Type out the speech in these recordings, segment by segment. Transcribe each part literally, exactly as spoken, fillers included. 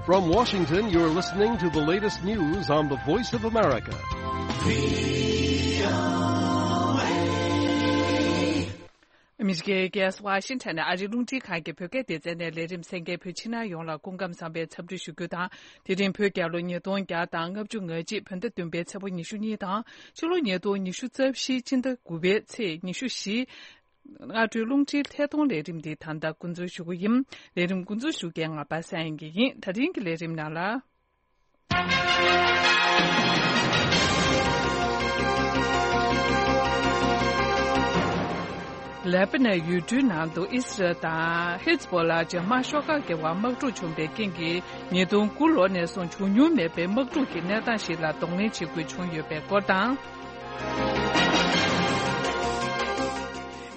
From Washington, you're listening to the latest news on the Voice of America. ཨ་མི་རི་ཀའི་རྒྱལ་ས་ཝ་ཤིང་ཊོན་ནས་ཨ་རིའི་རླུང་འཕྲིན་ཁང་གི་བོད་སྐད་སྡེ་ཚན་ནས་ལས་རིམ་གསན་མཁན་བོད་ཕྱི་ནང་ཡོངས་ལ་སྐུ་ཁམས་བཟང་བའི་འཚམས་འདྲི་ཞུ་རྒྱུ་དང་། དེ་རིང་བོད་རྒྱལ་ལོ་ཉིས་སྟོང་བརྒྱ་དང་ལྔ་བཅུ་ང་གཅིག་བོད་ཟླ་བདུན་པའི་ཚེས་པ་ཉི་ཤུ་གཉིས་དང་། ཕྱི་ལོ་ཉིས་སྟོང་ཉི་ཤུ་རྩ་བཞི་སྤྱི་ཟླ་དགུ་པའི་ཚེས་ཉི་ཤུ་བཞི། སྔ་དྲོའི་རླུང་འཕྲིན་ཐད་གཏོང་ལས་རིམ་འདི་ད་ལྟ་འགོ་འཛུགས་ཞུ་གི་ཡིན། ལས་རིམ་འགོ་འཛུགས་ཞུ་མཁན་ང་པ་སངས་དབྱངས་སྐྱིད་ཡིན། ད་རིང་གི་ལས་རིམ་ནང་ལ། ལེ་པ་ནན་ཡུལ་གྲུའི་ནང་དུ་ཨི་སི་རལ་དང་ཧི་ཛ་བྷོ་ལ་འཇབ་དམག་ཤོག་ཁག་གི་བར་དམག་འཁྲུག་བྱུང་བའི་རྐྱེན་གྱིས་ཉིས་སྟོང་དགུ་ལོ་ནས་བཟུང་བྱུང་མྱོང་མེད་པའི་དམག་འཁྲུག་གི་གནས་སྟངས་ཤིག་ལ་གདོང་ལེན་བྱེད་དགོས་བྱུང་ཡོད་པའི་སྐོར་དང་།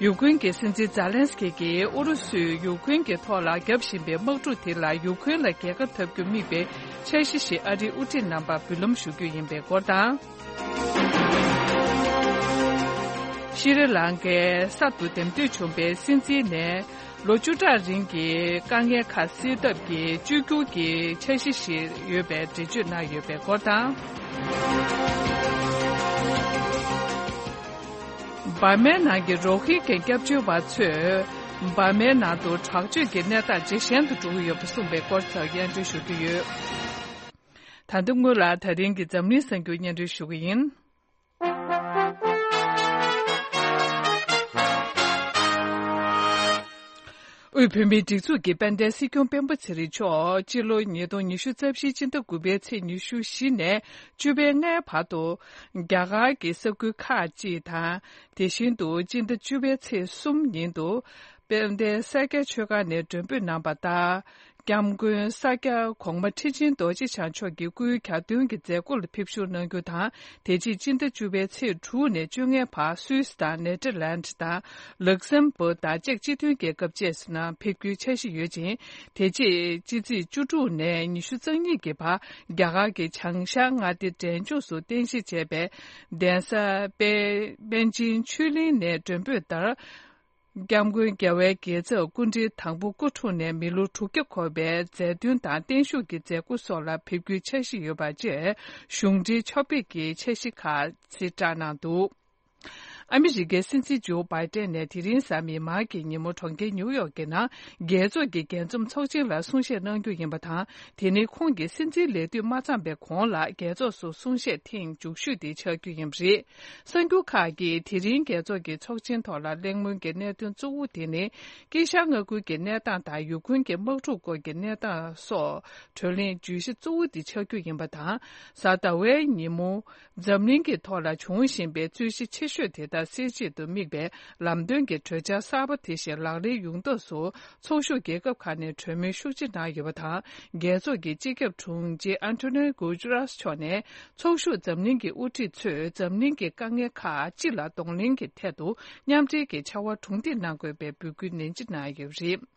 ཡུ་ཀེ་རེན་གྱི་སྲིད་འཛིན་ཛཱ་ལན་སི་ཀི་གིས་ཨུ་རུ་སུས་ཡུ་ཀེ་རེན་གྱི་ཐོག་ལ་བརྒྱབ་བཞིན་པའི་དམག་འཁྲུག་དེ་ལ་ཡུ་ཀེ་རེན་ལ་རྒྱལ་ཁ་འཐབ་རྒྱུར་དམིགས་པའི་འཆར་གཞི་ཞིག་ཨ་རིའི་དབུ་ཁྲིད་རྣམ་པར་འབུལ་ལམ་ཞུ་རྒྱུ་ཡིན་པའི་སྐོར་དང་། ཤྲི་ལང་ཀའི་གསར་དུ་འདེམས་ཐོན་བྱུང་བའི་སྲིད་འཛིན་ནས། ལོ་བཅུ་ཕྲག་རིང་གི་དཀའ་ངལ་ཁག་སེལ་ཐབས་ཀྱི་བཅོས་བསྒྱུར་གྱི་འཆར་གཞི་ཞིག་ཡོད་པའི་འགྲེལ་བརྗོད་གནང་ཡོད་པའི་སྐོར་དང་། འབར་མའི་ནང་གི་རོ་ཧིན་གྱི་སྐྱབས་བཅོལ་བ་ཚོས་འབར་མའི་ནང་དུ་དྲག་སྤྱོད་ཀྱི་གནས་སྟངས་ཇེ་ཞན་དུ་འགྲོ་གི་ཡོད་པ་གསུངས་པའི་སྐོར་སོགས་སྙན་སྒྲོན་ཞུ་རྒྱུ་ཡོད། ད་ལྟ་སྔོན་ལ་ད་རིང་གི་འཛམ་གླིང་གསར་འགྱུར་སྙན་སྒྲོན་ཞུ་གི་ཡིན། དབུས་བོད་མིའི་སྒྲིག་འཛུགས་ཀྱི་དཔལ་ལྡན་སྲིད་སྐྱོང་སྤེན་པ་ཚེ་རིང་མཆོག་སྤྱི་ལོ་ཉིས་སྟོང་ཉི་ཤུ་རྩ་བཞི་སྤྱི་ཟླ་དགུ་པའི་ཚེས་ཉི་ཤུ་བཞི་ནས་བཅུ་པའི་ལྔའི་བར་དུ་རྒྱ་གར་གྱི་ས་ཁུལ་ཁག་ཅིག་དང་། དེ་བཞིན་དུ་སྤྱི་ཟླ་བཅུ་པའི་ཚེས་གསུམ་ཉིན་དུ་དཔལ་ལྡན་ས་སྐྱ་ཆོས་ཁང་ནས་མགྲོན་འབོད་གནང་བ་ལྟར། སྐྱབས་མགོན་ས་སྐྱ་གོང་མ་ཁྲི་ཆེན་རྡོ་རྗེ་འཆང་མཆོག་གི་སྐུའི་གྱ་སྟོན་གྱི་མཛད་སྒོ་ལ་ཕེབས་བཞུགས་གནང་རྒྱུ་དང་། དེ་རྗེས་སྤྱི་ཟླ་བཅུ་པའི་ཚེས་དྲུག་ནས་བཅོ་ལྔའི་བར་སུད་སི་དང་ནེ་ཐར་ལན་དང་ལག་སམ་བྷོ་དང་ཅེཀ་སྤྱི་མཐུན་རྒྱལ་ཁབ་བཅས་སུ་ནང་ཕེབས་རྒྱུའི་འཆར་གཞི་ཡོད་ཅིང་། དེ་རྗེས་ཕྱི་ཚེས་བཅུ་དྲུག་ནས་ཉི་ཤུ་རྩ་གཉིས་ཀྱི་བར་རྒྱ་གར་གྱི་བྱང་ཤར་མངའ་སྡེ་འབྲས་ལྗོངས་སུ་རྟེན་གཞི་བྱས་པའི་གདན་ས་པེ་པཎ་ཆེན་ཆོས་གླིང་ནས་མགྲོན་འབོད་ལྟར། སྐྱབས་མགོན་རྒྱལ་བའི་དགེ་ཚབ་སྐུ་ཕྲེང་དང་པོ་སྐུ་འཁྲུངས་ནས་མི་ལོ་དྲུག་བརྒྱ་འཁོར་བའི་མཛད་དོན་དང་བརྟན་བཞུགས་ཀྱི་མཛད་སྒོ་སོགས་ལ་ཕེབས་རྒྱུའི་འཆར་གཞི་ཡོད་པ་བཅས་གཞུང་འབྲེལ་ཕྱོགས་ཕེབས་ཀྱི་འཆར་གཞི་ཁག་ཕྱིར་བསྒྲགས་གནང་འདུག་ཨ་མི་རི་ཀའི་སྲིད་འཛིན་ཇོ་བྷའི་ཏན་ནས་དེ་རིང་གཟའ་མིག་དམར་གྱི་ཉིན་མོ་གྲོང་ཁྱེར་ནིའུ་ཡོག་གི་ནང་རྒྱལ་ཚོགས་ཀྱི་རྒྱས་འཛོམས་ཚོགས་ཆེན་ལ་གསུང་བཤད་གནང་རྒྱུ་ཡིན་པ་དང་། དེ་ནི་ཁོང་གི་སྲིད་འཛིན་ལས་དུས་མ་ཚང་པའི་གོང་ལ་རྒྱལ་ཚོགས་སུ་གསུང་བཤད་ཐེངས་མཇུག་ཤོས་དེ་ཆགས་རྒྱུ་ཡིན་པ་རེད། གསར་འགྱུར་ཁག་གིས་དེ་རིང་རྒྱལ་ཚོགས་ཀྱི་ཚོགས་ཆེན་ཐོག་ལ་གླེང་མོལ་གྱི་གནད་དོན་གཙོ་བོ་དེ་ནི། དཀྱིལ་ཤར་མངའ་ཁུལ་གྱི་གནས་སྟངས་དང་ཡུ་ཁུན་གྱི་དམག་འཁྲུག་སྐོར་གྱི་གནས་སྟངས་སོགས་གྲོས་གླེང་བརྗོད་གཞི་གཙོ་བོ་དེ་ཆགས་རྒྱུ་ཡིན་པ་དང་། གཟའ་ཟླ་བའི་ཉིན་མོ། འཛམ་གླིང་གི་ཐོག་ལ་འབྱུང་བཞིན་པའི་རྩོད་གཞི་ཆེ་ཤོས་དེ་དག་སེལ་ཆེད་དུ་དམིགས་པའི་ལམ་སྟོན་གྱི་གྲོས་འཆར་གསར་པ་དེ་བཞིན་ལག་ལེན་ཡོང་ཐབས་སུ། ཚོགས་ཞུགས་རྒྱལ་ཁབ་ཁག་ནས་གྲོས་མོལ་ཤུགས་ཆེ་གནང་ཡོད་པ་དང་། རྒྱལ་ཚོགས་ཀྱི་སྤྱི་ཁྱབ་དྲུང་ཆེ་ཨན་ཐོ་ནི་གུ་ཇུ་རཱས་མཆོག་ནས། ཚོགས་ཞུགས་འཛམ་གླིང་གི་དབུ་ཁྲིད་ཚོས་འཛམ་གླིང་གི་དཀའ་ངལ་ཁག་སྤྱི་ལ་གདོང་ལེན་གྱི་ཐད་དུ་མཉམ་འབྲེལ་གྱི་བྱ་བ་གྲུང་སྡེ་གནང་དགོས་པའི་འབོད་སྐུལ་ནན་ཆེ་གནང་ཡོད་པ་རེད།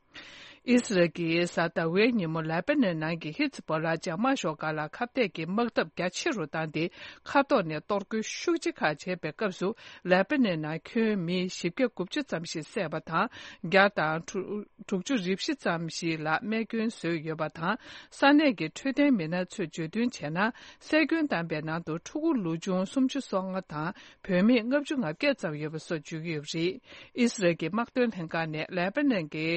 ཨི་སི་རལ་གྱིས་གཟའ་ཟླ་བའི་ཉིན་མོ་ལེ་པ་ནན་ནང་གི་ཧི་ཛི་བྷོ་ལ་འཇབ་དམག་ཤོག་ཁག་ལ་ཁ་གཏད་ཀྱི་དམག་འཐབ་རྒྱ་ཆེ་རུ་བཏང་སྟེ། མཁའ་ཐོག་ནས་གཏོར་རྒོལ་ཤུགས་ཆེ་ཁག་བྱས་པའི་སྐབས་སུ། ལེ་པ་ནན་ནང་ཁྱོན་མི་བཞི་བརྒྱ་དགུ་བཅུ་ཙམ་ཞིག་བསད་པ་དང་། བརྒྱ་དང་དྲུག་ཅུ་རེ་བཞི་ཙམ་ཞིག་ལ་རྨས་སྐྱོན་བཟོས་ཡོད་པ་དང་། ས་གནས་ཀྱི་འཕྲོད་བསྟེན་མི་སྣ་ཚོས་བརྗོད་དོན་བྱས་ན། བསད་སྐྱོན་བཏང་པའི་ནང་དུ་ཕྲུ་གུ་ལོ་ཆུང་སུམ་ཅུ་སོ་ལྔ་དང་། བུད་མེད་ལྔ་བཅུ་ང་བརྒྱད་ཙམ་ཡོད་པ་སོགས་བརྗོད་ཀྱི་ཡོད་པ་རེད། ཨི་སི་རལ་གྱི་དམག་དོན་ལྷན་ཁང་ནས་ལེ་པ་ནན་གྱི་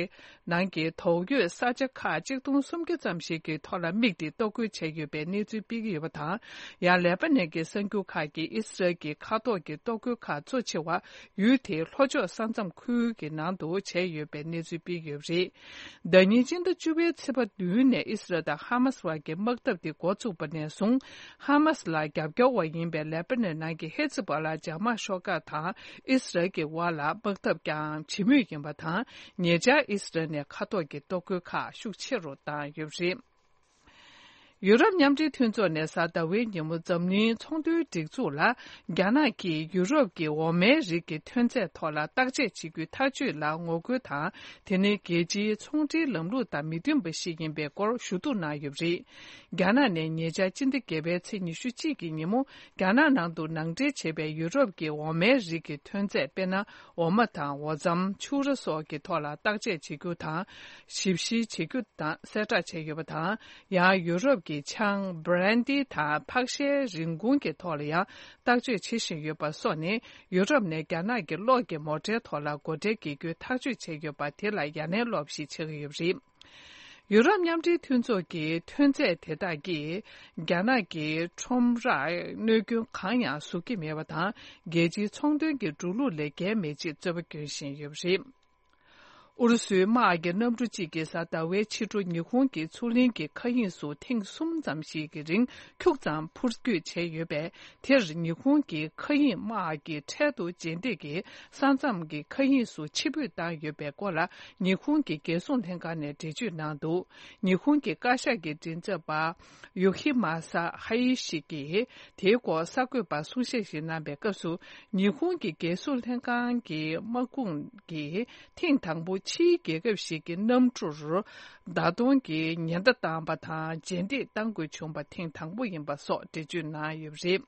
ནང་གི་དོགས་ཡོད་ས་ཆ་ཁག་གཅིག་སྟོང་སུམ་བརྒྱ་ཙམ་ཞིག་གི་ཐོག་ལ་དམིགས་ཏེ་གཏོར་རྒོལ་བྱས་ཡོད་པའི་གནས་ཚུལ་སྤེལ་གྱི་ཡོད་པ་དང་། ཡང་ལེ་པ་ནན་གྱི་གསར་འགྱུར་ཁག་གིས་ཨི་སི་རལ་གྱི་མཁའ་ཐོག་གི་གཏོར་རྒོལ་ཁག་གཙོ་ཆེ་བ་ཡུལ་དེའི་ལྷོ་ཕྱོགས་ས་མཚམས་ཁུལ་གྱི་ནང་དུ་བྱས་ཡོད་པའི་གནས་ཚུལ་སྤེལ་གྱི་ཡོད་པ་རེད། ཟླ་ཉིན་སྤྱི་ཟླ་བཅུ་པའི་ཚེས་པ་བདུན་ནས་ཨི་སི་རལ་དང་ཧ་མ་སི་བར་གྱི་དམག་འཐབ་དེ་འགོ་ཚུགས་པ་ནས་བཟུང་། ཧ་མ་སི་ལ་རྒྱབ་སྐྱོར་བ་ཡིན་པའི་ལེ་པ་ནན་ནང་གི་ཧི་ཛི་བྷོ་ལ་འཇབ་དམག་ཤོག་ཁག་དང་ཨི་སི་རལ་གྱི་དབར་ལ་དམག་འཐབ་ཀྱང་བྱེད་མུས་ཡིན་པ་དང་། ཉེ་ཆར་ཨི་སི་རལ་ནས་མཁའ་ཐོག་གི་གཏོར་རྒོལ་ཁག་ཤུགས་ཆེ་རུ་བཏང་ཡོད་པ་རེད། ཡུ་རོབ་མཉམ་འབྲེལ་མཐུན་ཚོགས་ནས་གཟའ་ཟླ་བའི་ཉིན་མོ་འཛམ་གླིང་ཚོང་དོན་སྒྲིག་འཛུགས་ལ། རྒྱ་ནག་གིས་ཡུ་རོབ་ཀྱི་འོ་མའི་རིགས་ཀྱི་ཐོན་རྫས་ཐོག་ལ་བརྟག་དཔྱད་བྱེད་རྒྱུའི་ཐག་གཅོད་ལ་ངོ་རྒོལ་དང་། དེ་ནི་རྒྱལ་སྤྱིའི་ཚོང་འབྲེལ་ལམ་ལུགས་དང་མི་མཐུན་པ་ཞིག་ཡིན་པའི་སྐོར་ཞུ་གཏུག་གནང་ཡོད་པ་རེད། རྒྱ་ནག་ནས་ཉེ་ཆར་སྤྱི་ཟླ་བརྒྱད་པའི་ཚེས་ཉི་ཤུ་གཅིག་གི་ཉིན་མོ། རྒྱ་ནག་ནང་དུ་ནང་འདྲེན་བྱས་པའི་ཡུ་རོབ་ཀྱི་འོ་མའི་རིགས་ཀྱི་ཐོན་རྫས། དཔེར་ན། འོ་མ་དང་འོ་རྩམ། ཕྱུར་ར་སོགས་ཀྱི་ཐོག་ལ་བརྟག་དཔྱད་བྱེད་རྒྱུ་དང་། ཞིབ་བཤེར་བྱེད་རྒྱུ་དང་གསལ་བསྒྲགས་བྱས་ཡོད་པ་དང་། ཡང་ཡུ་རོབ་ཀྱི་ཆང་། བྷི་རན་ཌི་དང་ཕག་ཤའི་རིན་གོང་གི་ཐོག་ལ་ཡང་བརྟག་དཔྱད་བྱེད་བཞིན་ཡོད་པ་སོགས་ནི། ཡུ་རོབ་ནས་རྒྱ་ནག་གི་གློག་གི་མོ་ཊའི་ཐོག་ལ་སྒོ་ཁྲལ་འགེལ་རྒྱུའི་ཐག་གཅོད་བྱས་ཡོད་པ་དེ་ལ་ཡ་ལན་སློག་པ་ཞིག་ཆགས་ཀྱི་ཡོད་པ་རེད། ཡུ་རོབ་མཉམ་འབྲེལ་མཐུན་ཚོགས་ཀྱི་ཐོན་རྫས་དེ་དག་གིས་རྒྱ་ནག་གི་ཁྲོམ་རར་གནོད་སྐྱོན་གང་ཡང་བཟོ་གི་མེད་པ་དང་། རྒྱལ་སྤྱིའི་ཚོང་དོན་གྱི་འགྲོ་ལུགས་ལས་འགལ་མེད་ཅེས་རྩོད་པ་སྐྱོན་བཞིན་ཡོད་པ་རེད། ཨུ་རུ་སུའི་དམག་གི་གནམ་གྲུ་གཅིག་གིས་གཟའ་ཟླ་བའི་ཕྱི་དྲོ་ཉི་ཧོང་གི་མཚོ་གླིང་གི་མཁའ་དབྱིངས་སུ་ཐེངས་གསུམ་ཙམ་ཞིག་གི་རིང་ཁྱུག་ཙམ་འཕུར་སྐྱོད་བྱས་ཡོད་པས། དེར་ཉི་ཧོང་གི་མཁའ་དབྱིངས་དམག་གིས་འཕྲལ་དུ་རྗེས་འདེད་ཀྱིས་ས་མཚམས་ཀྱི་མཁའ་དབྱིངས་སུ་ཕྱིར་འབུད་བཏང་ཡོད་པའི་སྐོར་ལ། ཉི་ཧོང་གི་རྒྱལ་སྲུང་ལྷན་ཁང་ནས་འགྲེལ་བརྗོད་གནང་འདུག་ཉི་ཧོང་གི་བཀའ་ཤག་གི་མགྲིན་ཚབ་པ་ཡོ་ཧི་མ་ས་ཧ་ཡི་ཤི་གིས་དེའི་སྐོར་གསར་འགོད་པར་གསུང་བཤད་ཞིག་གནང་པའི་སྐབས་སུ། ཉི་ཧོང་གི་རྒྱལ་སྲུང་ལྷན་ཁང་གི་དམག་དཔུང་གིས་ཐེངས་དང་པོ་ཕྱིའི་རྒྱལ་ཁབ་ཞིག་གི་གནམ་གྲུར་བརྡ་གཏོང་གི་ཉེན་བརྡ་བཏང་པ་དང་། རྗེས་འདེད་གཏང་དགོས་བྱུང་པ་ཐེངས་དང་པོ་ཡིན་པ་སོགས་འགྲེལ་བརྗོད་གནང་ཡོད་པ་རེད།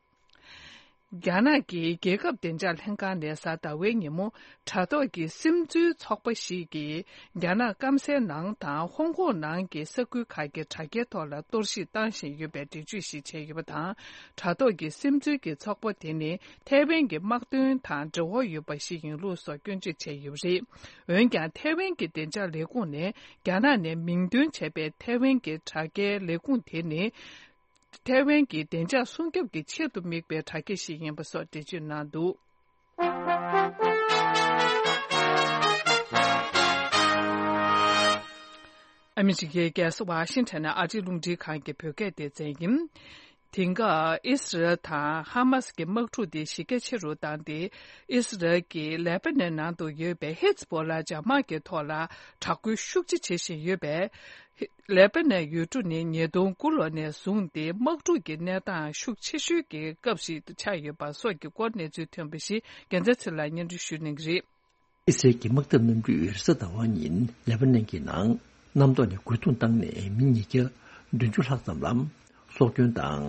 རྒྱ་ནག་གི་རྒྱལ་ཁབ་བདེ་འཇགས་ལྷན་ཁང་ནས་གཟའ་ཟླ་བའི་ཉིན་མོ། དྲ་ཐོག་གི་སིམ་འཛུལ་ཚོགས་པ་ཞིག་གིས་རྒྱ་ནག་སྐམ་སའི་ནང་དང་ཧོང་ཀོང་ནང་གི་ས་ཁུལ་ཁག་གི་དྲ་རྒྱའི་ཐོག་ལ་གཏོར་བཤིག་བཏང་བཞིན་ཡོད་པའི་འགྲེལ་བརྗོད་ཞིག་བྱས་ཡོད་པ་དང་། དྲ་ཐོག་གི་སིམ་འཛུལ་གྱི་ཚོགས་པ་དེ་ནི་ཐའེ་ཝན་གྱི་དམག་དོན་དང་འབྲེལ་བ་ཡོད་པ་ཞིག་ཡིན་ལུགས་སོགས་སྐྱོན་བརྗོད་བྱས་ཡོད་པ་རེད། འོན་ཀྱང་། ཐའེ་ཝན་གྱི་བདེ་འཇགས་ལས་ཁུངས་ནས་རྒྱ་ནག་ནས་མིང་འདོན་བྱས་པའི་ཐའེ་ཝན་གྱི་དྲ་རྒྱའི་ལས་ཁུངས་དེ་ནི། ཐའེ་ཝན་གྱི་བདེ་འཇགས་སྲུང་སྐྱོབ་ཀྱི་ཆེད་དུ་དམིགས་པའི་དྲ་རྒྱ་ཞིག་ཡིན་པ་སོགས་འགྲེལ་བརྗོད་གནང་འདུག་ཨ་མི་རི་ཀའི་རྒྱལ་ས་ཝ་ཤིང་ཊོན་ནས་ཨ་རིའི་རླུང་འཕྲིན་ཁང་གི་བོད་སྐད་སྡེ་ཚན་ཡིན། དེང་སྐབས་ཨི་སི་རལ་དང་ཧ་མ་སི་གི་དམག་འཁྲུག་དེ་གཞི་རྒྱ་ཆེ་རུ་བཏང་སྟེ། ཨི་སི་རལ་གྱིས་ལེ་པ་ནན་ནང་དུ་ཡོད་པའི་ཧེ་ཛི་བོ་ལ་འཇབ་དམག་གི་ཐོག་ལ་དྲག་རྒོལ་ཤུགས་ཆེ་བྱེད་བཞིན་ཡོད་པས། ལེ་པ་ནན་ཡུལ་གྲུ་ནི་ཉིས་སྟོང་དགུ་ལོ་ནས་བཟུང་སྟེ་དམག་འཁྲུག་གི་གནས་སྟངས་ཤུགས་ཆེ་ཤོས་ཀྱི་སྐབས་ཤིག་ཏུ་ཆགས་ཡོད་པ་སོགས་ཀྱི་སྐོར་གནས་ཚུལ་ཐོན་པ་ཞིག་རྒྱལ་མཚན་ཚེ་ལ་སྙན་སྒྲོན་ཞུ་གནང་གི་རེད། ཨི་སི་རལ་གྱི་དམག་འཐབ་གནམ་གྲུས་རེས་གཟའ་ཟླ་བ་ཉིན་ལེ་པ་ནན་གྱི་ནང་གནམ་ཐོག་ནས་རྒོལ་རྡུང་བཏང་ནས་མི་ཉིས་བརྒྱ་བདུན་ཅུ་ལྷག་ཙམ་ལ་སྲོག་སྐྱོན་དང་།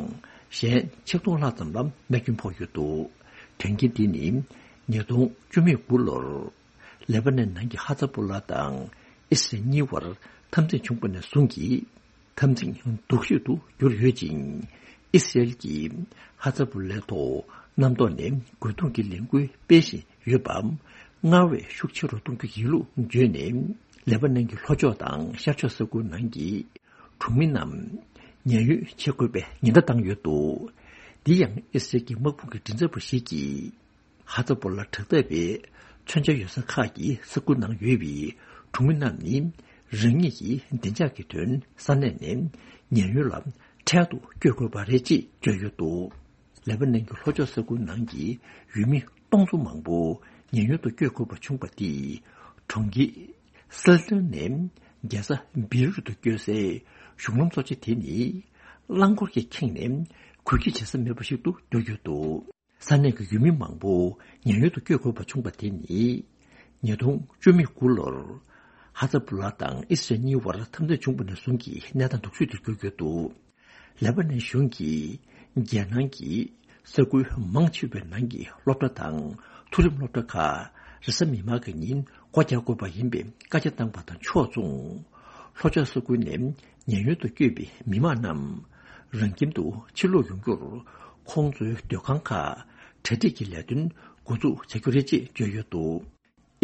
གཞན་ཆིག་སྟོང་ལྷག་ཙམ་ལ་རྨས་སྐྱོན་ཕོག་ཡོད་འདུག་དོན་རྐྱེན་འདི་ནི་ཉིས་སྟོང་བཅུ་མེད་དགུ་ལོར་ལེ་པ་ནན་ནང་གི་ཧ་ཛ་པོ་ལ་དང་ཨི་སི་རལ་གཉིས་བར་འཐབ་འཛིང་བྱུང་བ་ནས་བཟུང་གི་འཐབ་འཛིང་སྡུག་ཤོས་སུ་གྱུར་ཡོད་ཅིང་། ཨི་སི་རལ་གྱིས་ཧ་ཛ་པོ་ལའི་ཐོག་གནམ་ཐོག་ནས་རྒོལ་རྡུང་གི་ལས་འགུལ་སྤེལ་བཞིན་ཡོད་པ། སྔར་བས་ཤུགས་ཆེ་རུ་གཏོང་རྒྱུ་ཡིན་ལུགས་བརྗོད་ནས། ལེ་པ་ནན་གྱི་ལྷོ་ཕྱོགས་དང་ཤར་ཕྱོགས་ས་ཁུལ་ནང་གི་གྲོང་མི་རྣམས་ཉེན་གཡོལ་བྱེད་དགོས་པའི་ཉེན་བརྡ་བཏང་ཡོད་འདུག་འདི་ཡང་ཨི་སི་རལ་གྱི་དམག་དཔུང་གི་མགྲིན་ཚབ་པ་ཞིག་གིས། ཧ་ཛ་པོ་ལ་དྲག་འཐབ་པའི་མཚོན་ཆ་ཡོད་ས་ཁག་གི་ས་ཁུལ་ནང་ཡོད་པའི་གྲོང་མི་རྣམས་ནི། རང་ཉིད་ཀྱི་བདེ་འཇགས་ཀྱི་དོན་ས་གནས་ནས་ཉེན་གཡོལ་ལ་འཕྲལ་དུ་བསྐྱོད་དགོས་པ་རེད་ཅེས་བརྗོད་ཡོད་འདུག་ལེ་པ་ནན་གྱི་ལྷོ་ཕྱོགས་ས་ཁུལ་ནང་གི་ཡུལ་མི་སྟོང་ཚོ་མང་པོ་ཉེན་གཡོལ་དུ་བསྐྱོད་དགོས་པ་བྱུང་བ་དེས། གྲོང་ཁྱེར་སེལ་ཏན་ནས་རྒྱལ་ས་བེ་རུད་དུ་བསྐྱོད་སའི་གཞུང་ལམ་གཙོ་ཆེ་དེ་ནི། རླངས་འཁོར་གྱིས་ཁེངས་ནས་གུག་སྐྱེལ་བྱེད་ས་མེད་པ་ཞིག་ཏུ་གྱུར་ཡོད་འདུག་ས་གནས་ཀྱི་ཡུལ་མི་མང་པོ་ཉེན་གཡོལ་དུ་བསྐྱོད་དགོས་པ་བྱུང་བ་དེ་ནི། ཉིས་སྟོང་བཅུ་མེད་དགུ་ལོར་ཧ་ཛ་པུ་ལ་དང་ཨི་སི་རལ་གཉིས་བར་འཐབ་འཛིང་བྱུང་བ་ནས་བཟུང་གི་གནས་སྟངས་སྡུག་ཤོས་དེར་གྱུར་ཡོད་འདུག་ལེ་པ་ནན་གཞུང་གིས་རྒྱལ་ནང་གི་ས་ཁུལ་མང་ཆེ་བའི་ནང་གི་སློབ་གྲྭ་དང་མཐོ་རིམ་སློབ་གྲྭ་ཁག་རེས་གཟའ་མིག་དམར་གྱི་ཉིན་སྒོ་རྒྱག་དགོས་པ་ཡིན་པའི་བཀའ་རྒྱ་བཏང་པ་དང་ཕྱོགས་མཚུངས། ལྷོ་ཕྱོགས་ས་ཁུལ་ནས་ཉེན་གཡོལ་དུ་བསྐྱོད་པའི་མི་མང་རྣམས་རང་ཁྱིམ་དུ་ཕྱིར་ལོག་ཡོང་རྒྱུར་ཁོང་ཚོའི་སྡོད་ཁང་ཁག་གྲ་སྒྲིག་གི་ལས་དོན་འགོ་འཛུགས་བྱ་རྒྱུ་རེད་ཅེས་བརྗོད་ཡོད་འདུག་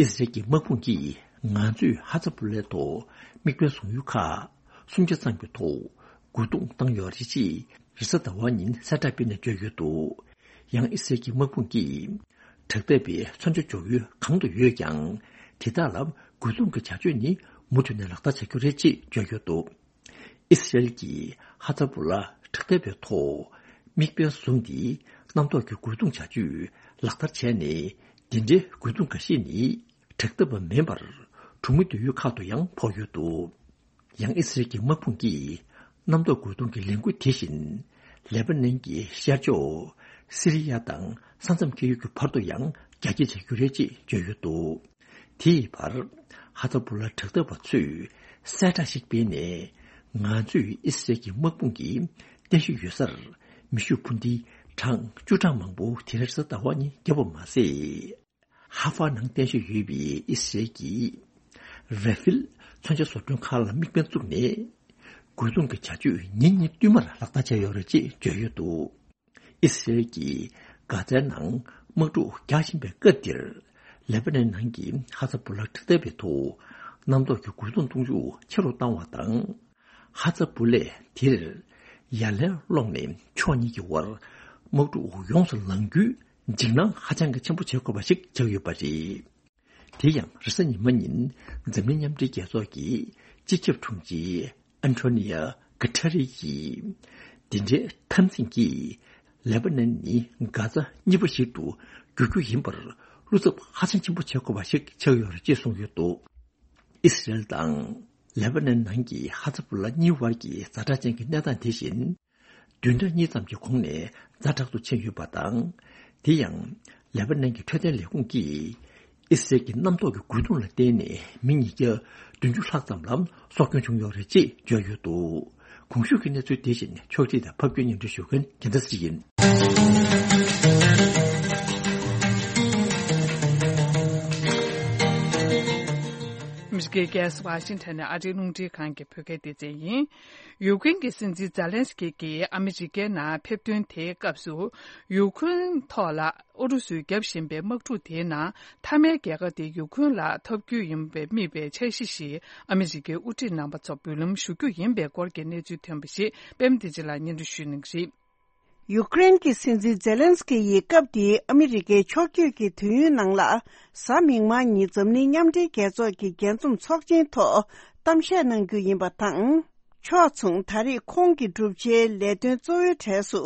ཨི་སི་རལ་གྱི་དམག་དཔུང་གིས་ང་ཚོས་ཧ་ཛ་པུ་ལའི་ཐོག་དམིགས་འབེན་བཟུང་ཡུལ་ཁག་སུམ་ཆ་ཙམ་གྱི་ཐོག་རྒོལ་རྡུང་བཏང་ཡོད་རེད་ཅེས་རེས་གཟའ་ཟླ་བ་ཉིན་གསལ་བསྒྲགས་སྤེལ་ནས་བརྗོད་ཡོད་འདུག་ཡང་ཨི་སི་རལ་གྱི་དམག་དཔུང་གིས་དྲག་འཐབ་པའི་མཚོན་ཆ་འཇོག་ཡུལ་གང་དུ་ཡོད་ཀྱང་དེ་དག་ལ་རྒོལ་རྡུང་གི་བྱ་སྤྱོད་ནི་མུ་མཐུད་ནས་ལག་བསྟར་བྱ་རྒྱུ་རེད་ཅེས་བརྗོད་ཡོད་འདུག་ཨི་སི་རལ་གྱིས་ཧ་ཛ་པུ་ལ་དྲག་འཐབ་པའི་ཐོག་དམིགས་འབེན་བཟུང་སྟེ་གནམ་ཐོག་གི་རྒོལ་རྡུང་བྱ་སྤྱོད་ལག་བསྟར་བྱས་ནས། འདི་འདྲའི་རྒོལ་རྡུང་འགའ་ཤས་ནི་དྲག་འཐབ་པ་མིན་པར་གྲོང་མི་སྡོད་ཡུལ་ཁག་ཏུ་ཡང་ཕོག་ཡོད་འདུག་ཡང་ཨི་སི་རལ་གྱི་དམག་དཔུང་གིས་ གནམ་ཐོག་རྒོལ་རྡུང་གི་ལས་འགུལ་དེ་བཞིན་ལེ་པ་ནན་གྱི་ཤར་ཕྱོགས་སི་རི་ཡ་དང་ས་མཚམས་བཅད་ཡུལ་གྱི་བར་དུ་ཡང་རྒྱ་སྐྱེད་བྱ་རྒྱུ་རེད་ཅེས་བརྗོད་ཡོད་འདུག། དེ་ཡི་བར་ཧ་ཛ་བུ་ལ་དྲག་འཐབ་པ་ཚོས་གསལ་བསྒྲགས་ཤིག་སྤེལ་ནས། ང་ཚོས་ཨི་སི་རལ་གྱི་དམག་དཔུང་གི་རྟེན་གཞི་ཡོད་སར་མེ་ཤུགས་འཕུར་མདེལ་གྲངས་བཅུ་གྲངས་མང་པོ་དེ་རིང་གཟའ་ཟླ་བ་ཉིན་བརྒྱབ་པ་མ་ཟད། ཧ་ཧྥ་ནང་རྟེན་གཞི་ཡོད་པའི་ཨི་སི་རལ་གྱི་ར་ཧྥིལ་མཚོན་ཆ་བཟོ་སྐྲུན་ཁང་ལ་དམིགས་འབེན་བཙུགས་ནས། རྒོལ་རྡུང་གི་བྱ་སྤྱོད་ཉིན་གཉིས་བསྟུད་མར་ལག་བསྟར་བྱས་ཡོད་རེད་ཅེས་བརྗོད་ཡོད་འདུག། ཨི་སི་རལ་གྱིས་གྷ་ཛའི་ནང་དམག་འཁྲུག་རྒྱག་བཞིན་པའི་སྐབས་འདིར། ལེ་པ་ནན་ནང་གི་ཧ་ཛ་བུ་ལ་དྲག་འཐབ་པའི་ཐོག་གནམ་ཐོག་གི་རྒོལ་རྡུང་གཏོང་ཤུགས་ཆེ་རུ་བཏང་བ་དང་། ཧ་ཛ་བུ་ལས་དེར་ཡ་ལན་སློག་ནས་ཕྱོགས་གཉིས་ཀྱི་བར་དམག་འཁྲུག་ཡོངས་སུ་ལང་རྒྱུའི་འཇིགས་སྣང་ཧ་ཅང་གི་ཆེན་པོ་བྱེད་དགོས་པ་ཞིག་ཆགས་ཡོད་པ་རེད། དེ་ཡང་རེས་གཟའ་ཉི་མ་ཉིན་འཛམ་གླིང་མཉམ་འབྲེལ་རྒྱལ་ཚོགས་ཀྱི་སྤྱི་ཁྱབ་དྲུང་ཆེ་ཨན་ཐོ་ནི་ཡ་གྷ་ཐ་རི་ཡིས། འདི་འདྲའི་འཐབ་འཛིང་གིས་ལེ་པ་ནན་ནི་གྷ་ཛ་གཉིས་པ་ཞིག་ཏུ་འགྱུར་རྒྱུ་ཡིན་པར་བློ་འཚབ་ཧ་ཅང་ཆེན་པོ་བྱེད་དགོས་པ་ཞིག་ཆགས་ཡོད་རེད་ཅེས་གསུངས་ཡོད་འདུག། ཨི་སི་རལ་དང་ལེ་པ་ནན་ནང་གི་ཧ་ཛ་བུ་ལ་གཉིས་བར་གྱི་ཛ་དྲག་ཅན་གྱི་གནས་སྟངས་དེ་བཞིན། བདུན་ཕྲག་གཉིས་ཙམ་གྱི་གོང་ནས་ཛ་དྲག་ཏུ་ཕྱིན་ཡོད་པ་དང་། དེ་ཡང་ལེ་པ་ནན་གྱི་འཕྲོད་བསྟེན་ལས་ཁུངས་ཀྱིས་ཨི་སི་རལ་གྱི་གནམ་ཐོག་གི་རྒོལ་རྡུང་ལ་བརྟེན་ནས་མི་ཉིས་བརྒྱ་བདུན་ཅུ་ལྷག་ཙམ་ལ་སྲོག་སྐྱོན་བྱུང་ཡོད་རེད་ཅེས་བརྗོད་ཡོད་འདུག། གོང་ཞུས་ཀྱི་གནས་ཚུལ་དེ་བཞིན་ཕྱོགས་སྒྲིག་དང་ཕབ་སྒྱུར་སྙན་སྒྲོན་ཞུ་མཁན་རྒྱལ་མཚན་ཡིན། ཨ་མི་རི་ཀའི་རྒྱལ་ས་ཝ་ཤིང་ཊོན་ནས་ཨ་རིའི་རླུང་འཕྲིན་ཁང་གི་བོད་སྐད་སྡེ་ཚན་ཡིན། ཡུཀ་རེན་གྱི་སྲིད་འཛིན་ཛེ་ལན་སི་ཀི་གིས་ཨ་མི་རི་ཀའི་ནང་ཕེབས་ཐོན་དེའི་སྐབས་སུ། ཡུཀ་རེན་ཐོག་ལ་ཨུ་རུ་སུས་བརྒྱབ་བཞིན་པའི་དམག་འཁྲུག་དེའི་ནང་མཐའ་མའི་རྒྱལ་ཁ་དེ་ཡུཀ་རེན་ལ་ཐོབ་རྒྱུ་ཡིན་པའི་དམིགས་པའི་འཆར་གཞི་ཞིག་ཨ་མི་རི་ཀའི་དབུ་ཁྲིད་རྣམ་པ་ཚོ་འབུལ་ལམ་ཞུ་རྒྱུ་ཡིན་པའི་སྐོར་གྱི་གནས་ཚུལ་ཐོན་པ་ཞིག་པད་མ་བདེ་ཆེན་ལགས་སྙན་སྒྲོན་ཞུ་གནང་གི་རེད། ཡུཀ་རེན་གྱི་སྲིད་འཛིན་ཛེ་ལན་སི་ཀི་ཡིས་སྐབས་དེའི་ཨ་མི་རི་ཀའི་ཕྱོགས་བསྐྱོད་ཀྱི་དུས་ཡུན་ནང་ལ། གཟའ་མིག་དམར་ཉིན་འཛམ་གླིང་མཉམ་འབྲེལ་རྒྱལ་ཚོགས་ཀྱི་རྒྱས་འཛོམས་ཚོགས་ཆེན་ཐོག་གཏམ་བཤད་གནང་རྒྱུ་ཡིན་པ་དང་། ཕྱོགས་མཚུངས་ད་རེས་ཁོང་གི་བསྒྲུབ་བྱའི་ལས་དོན་གཙོ་བོའི་གྲས་སུ།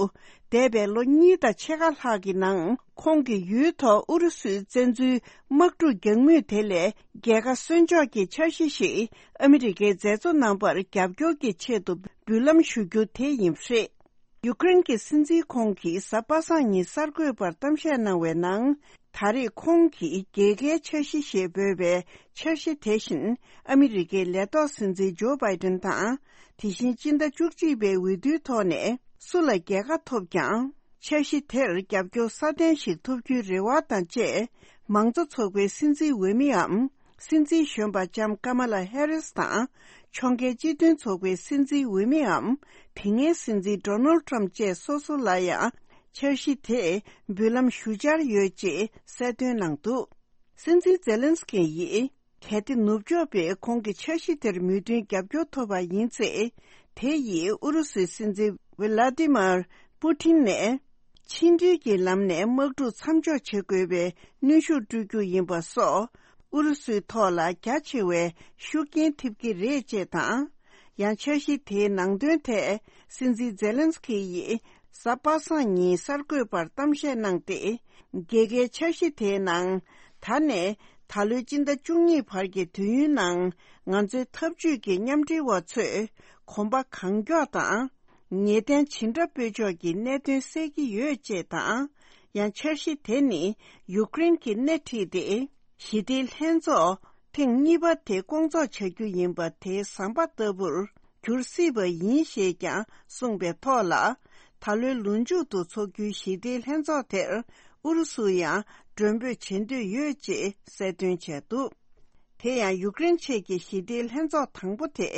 འདས་པའི་ལོ་གཉིས་དང་ཕྱེད་ཀ་ལྷག་གི་ནང་ཁོང་གིས་ཡུལ་ཐོག་ཨུ་རུ་སུའི་བཙན་འཛུལ་དམག་འཁྲུག་རྒྱག་མུས་དེ་ལས་རྒྱལ་ཁ་གསོན་འཇོག་གི་འཆར་གཞི་ཞིག་ཨ་མི་རི་ཀའི་མཛད་གཙོ་རྣམ་པར་རྒྱབ་སྐྱོར་གྱི་ཆེད་དུ་འབུལ་ལམ་ཞུ་རྒྱུ་དེ་ཡིན་པ་རེད། ཡུཀ་རེན་གྱི་སྲིད་འཛིན་ཁོང་གིས་གཟའ་པ་སངས་ཉིན་གསར་འགོད་པར་གཏམ་བཤད་གནང་བའི་ནང་། ད་རེས་ཁོང་གིས་རྒྱལ་ཁའི་འཆར་གཞི་ཞེས་འབོད་པའི་འཆར་གཞི་དེ་བཞིན་ཨ་མི་རི་ཀའི་ལས་ཐོག་སྲིད་འཛིན་ཇོ་བྷའི་ཏན་དང་། དེ་བཞིན་སྤྱི་ཟླ་བཅུ་གཅིག་པའི་འོས་བསྡུའི་ཐོག་ནས་སུ་ལ་རྒྱལ་ཁ་ཐོབ་ཀྱང་། འཆར་གཞི་དེར་རྒྱབ་སྐྱོར་སྲ་བརྟན་ཞིག་ཐོབ་རྒྱུའི་རེ་བ་དང་བཅས། མང་གཙོ་ཚོགས་པའི་སྲིད་འཛིན་འོས་མིའམ། སྲིད་འཛིན་གཞོན་པ་ལྕམ་ཀ་མ་ལ་ཧེ་རིས་དང་། ཕྱོགས་འགལ་སྤྱི་མཐུན་ཚོགས་པའི་སྲིད་འཛིན་འོས་མིའམ། དེ་སྔའི་སྲིད་འཛིན་ཌོ་ནལ་ཊམ་བཅས་སོ་སོ་ལ་ཡང་འཆར་གཞི་དེས་འབུལ་ལམ་ཞུ་འཆར་ཡོད་ཅེས་གསལ་སྟོན་གནང་འདུག། སྲིད་འཛིན་ཛེ་ལན་སི་ཀི་ཡིས་གལ་ཏེ་ནུབ་ཕྱོགས་པས་ཁོང་གི་འཆར་གཞི་དེར་མོས་མཐུན་རྒྱབ་སྐྱོར་ཐོབ་པ་ཡིན་ཚེ། དེ་ཡིས་ཨུ་རུ་སུའི་སྲིད་འཛིན་ཝི་ལ་ཏི་མར་པུ་ཏིན་ནས། ཕྱི་འབྲེལ་གྱི་ལམ་ནས་དམག་འཁྲུག་མཚམས་འཇོག་བྱེད་དགོས་པའི་གནོན་ཤུགས་སྤྲོད་རྒྱུ་ཡིན་པ་སོགས། ཨུ་རུ་སུའི་ཐོག་ལ་རྒྱ་ཆེ་བའི་ཤུགས་རྐྱེན་ཐེབས་ཀྱི་རེད་ཅེས་དང་། ཡང་འཆར་གཞི་དེའི་ནང་དོན་ཐད་སྲིད་འཛིན་ཛེ་ལན་སི་ཀི་ཡིས་གཟའ་པ་སངས་ཉིན་གསར་འགོད་པར་གཏམ་བཤད་གནང་སྟེ། རྒྱལ་ཁའི་འཆར་གཞི་དེའི་ནང་། ད་ནས་ད་ལོའི་སྤྱི་ཟླ་བཅུ་གཉིས་བར་གྱི་དུས་ཡུན་ནང་ང་ཚོའི་འཐབ་ཇུས་ཀྱི་མཉམ་འབྲེལ་བ་ཚོས་གོམ་པ་གང་མགྱོགས་དང་། ངེས་གཏན་ཇི་འདྲ་སྤོས་ཆོག་གི་གནད་དོན་སེལ་གྱི་ཡོད་ཅེས་དང་། ཡང་འཆར་གཞི་དེ་ནི་ཡུཀ་རེན་གྱིས་སྣེ་ཁྲིད་དེ། ཞི་བདེའི་ལྷན་ཚོགས་ཐེངས་གཉིས་པ་དེ་སྐོང་ཚོགས་བྱ་རྒྱུ་ཡིན་པ་དེའི་ཟམ་པ་ལྟ་བུར་འགྱུར་སྲིད་པ་ཡིན་ཞེས་ཀྱང་གསུངས་པའི་ཐོག་ལ། ད་ལོའི་ལོ་མཇུག་ཏུ་འཚོགས་རྒྱུའི་ཞི་བདེའི་ལྷན་ཚོགས་དེར་ཨུ་རུ་སུ་ཡང་མགྲོན་འབོད་བྱེད་འདོད་ཡོད་ཅེས་གསལ་སྟོན་བྱས་འདུག། དེ་ཡང་ཡུཀ་རེན་ཆེད་ཀྱི་ཞི་བདེའི་ལྷན་ཚོགས་དང་པོ་དེ་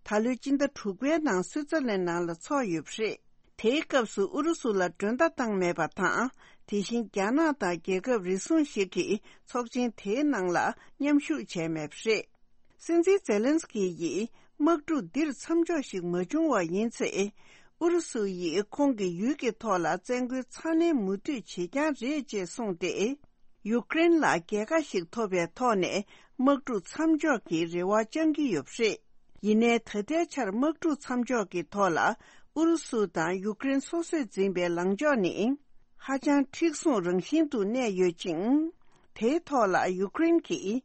ད་ལོའི་སྤྱི་ཟླ་དྲུག་པའི་ནང་སུའུ་ཙེར་ལན་ནང་ལ་འཚོགས་ཡོད་པ་རེད། དེའི་སྐབས་སུ་ཨུ་རུ་སུ་ལ་མགྲོན་བརྡ་བཏང་མེད་པ་དང་། དེ་བཞིན་རྒྱ་ནག་དང་རྒྱལ་ཁབ་རེ་ཟུང་ཞིག་གིས་ཚོགས་ཆེན་དེའི་ནང་ལ་མཉམ་ཞུགས་བྱས་མེད་པ་རེད། སྲིད་འཛིན་ཛེ་ལན་སི་ཀི་ཡིས་དམག་འཁྲུག་འདིར་མཚམས་འཇོག་ཞིག་མ་བྱུང་བ་ཡིན་ཚེ། ཨུ་རུ་སུ་ཡིས་ཁོང་གི་ཡུལ་གྱི་ཐོག་ལ་བཙན་རྒོལ་ཚ་ནན་མུ་མཐུད་བྱེད་རྐྱང་རེད་ཅེས་གསུངས་ཏེ། ཡུཀ་རེན་ལ་རྒྱལ་ཁ་ཞིག་ཐོབ་པའི་ཐོག་ནས་དམག་འཁྲུག་མཚམས་འཇོག་གི་རེ་བ་བཅང་གི་ཡོད་པ་རེད། ཡིན་ནའི་ད་ལྟའི་ཆར་དམག་འཁྲུག་མཚམས་འཇོག་གི་ཐོག་ལ་ཨུ་རུ་སུ་དང་ཡུཀ་རེན་སོ་སོས་འཛིན་པའི་ལངས་ཕྱོགས་ནི་ཧ་ཅང་མཁྲེགས་བཟུང་རང་བཞིན་དུ་གནས་ཡོད་ཅིང་། དེའི་ཐོག་ལ་ཡུཀ་རེན་གྱིས་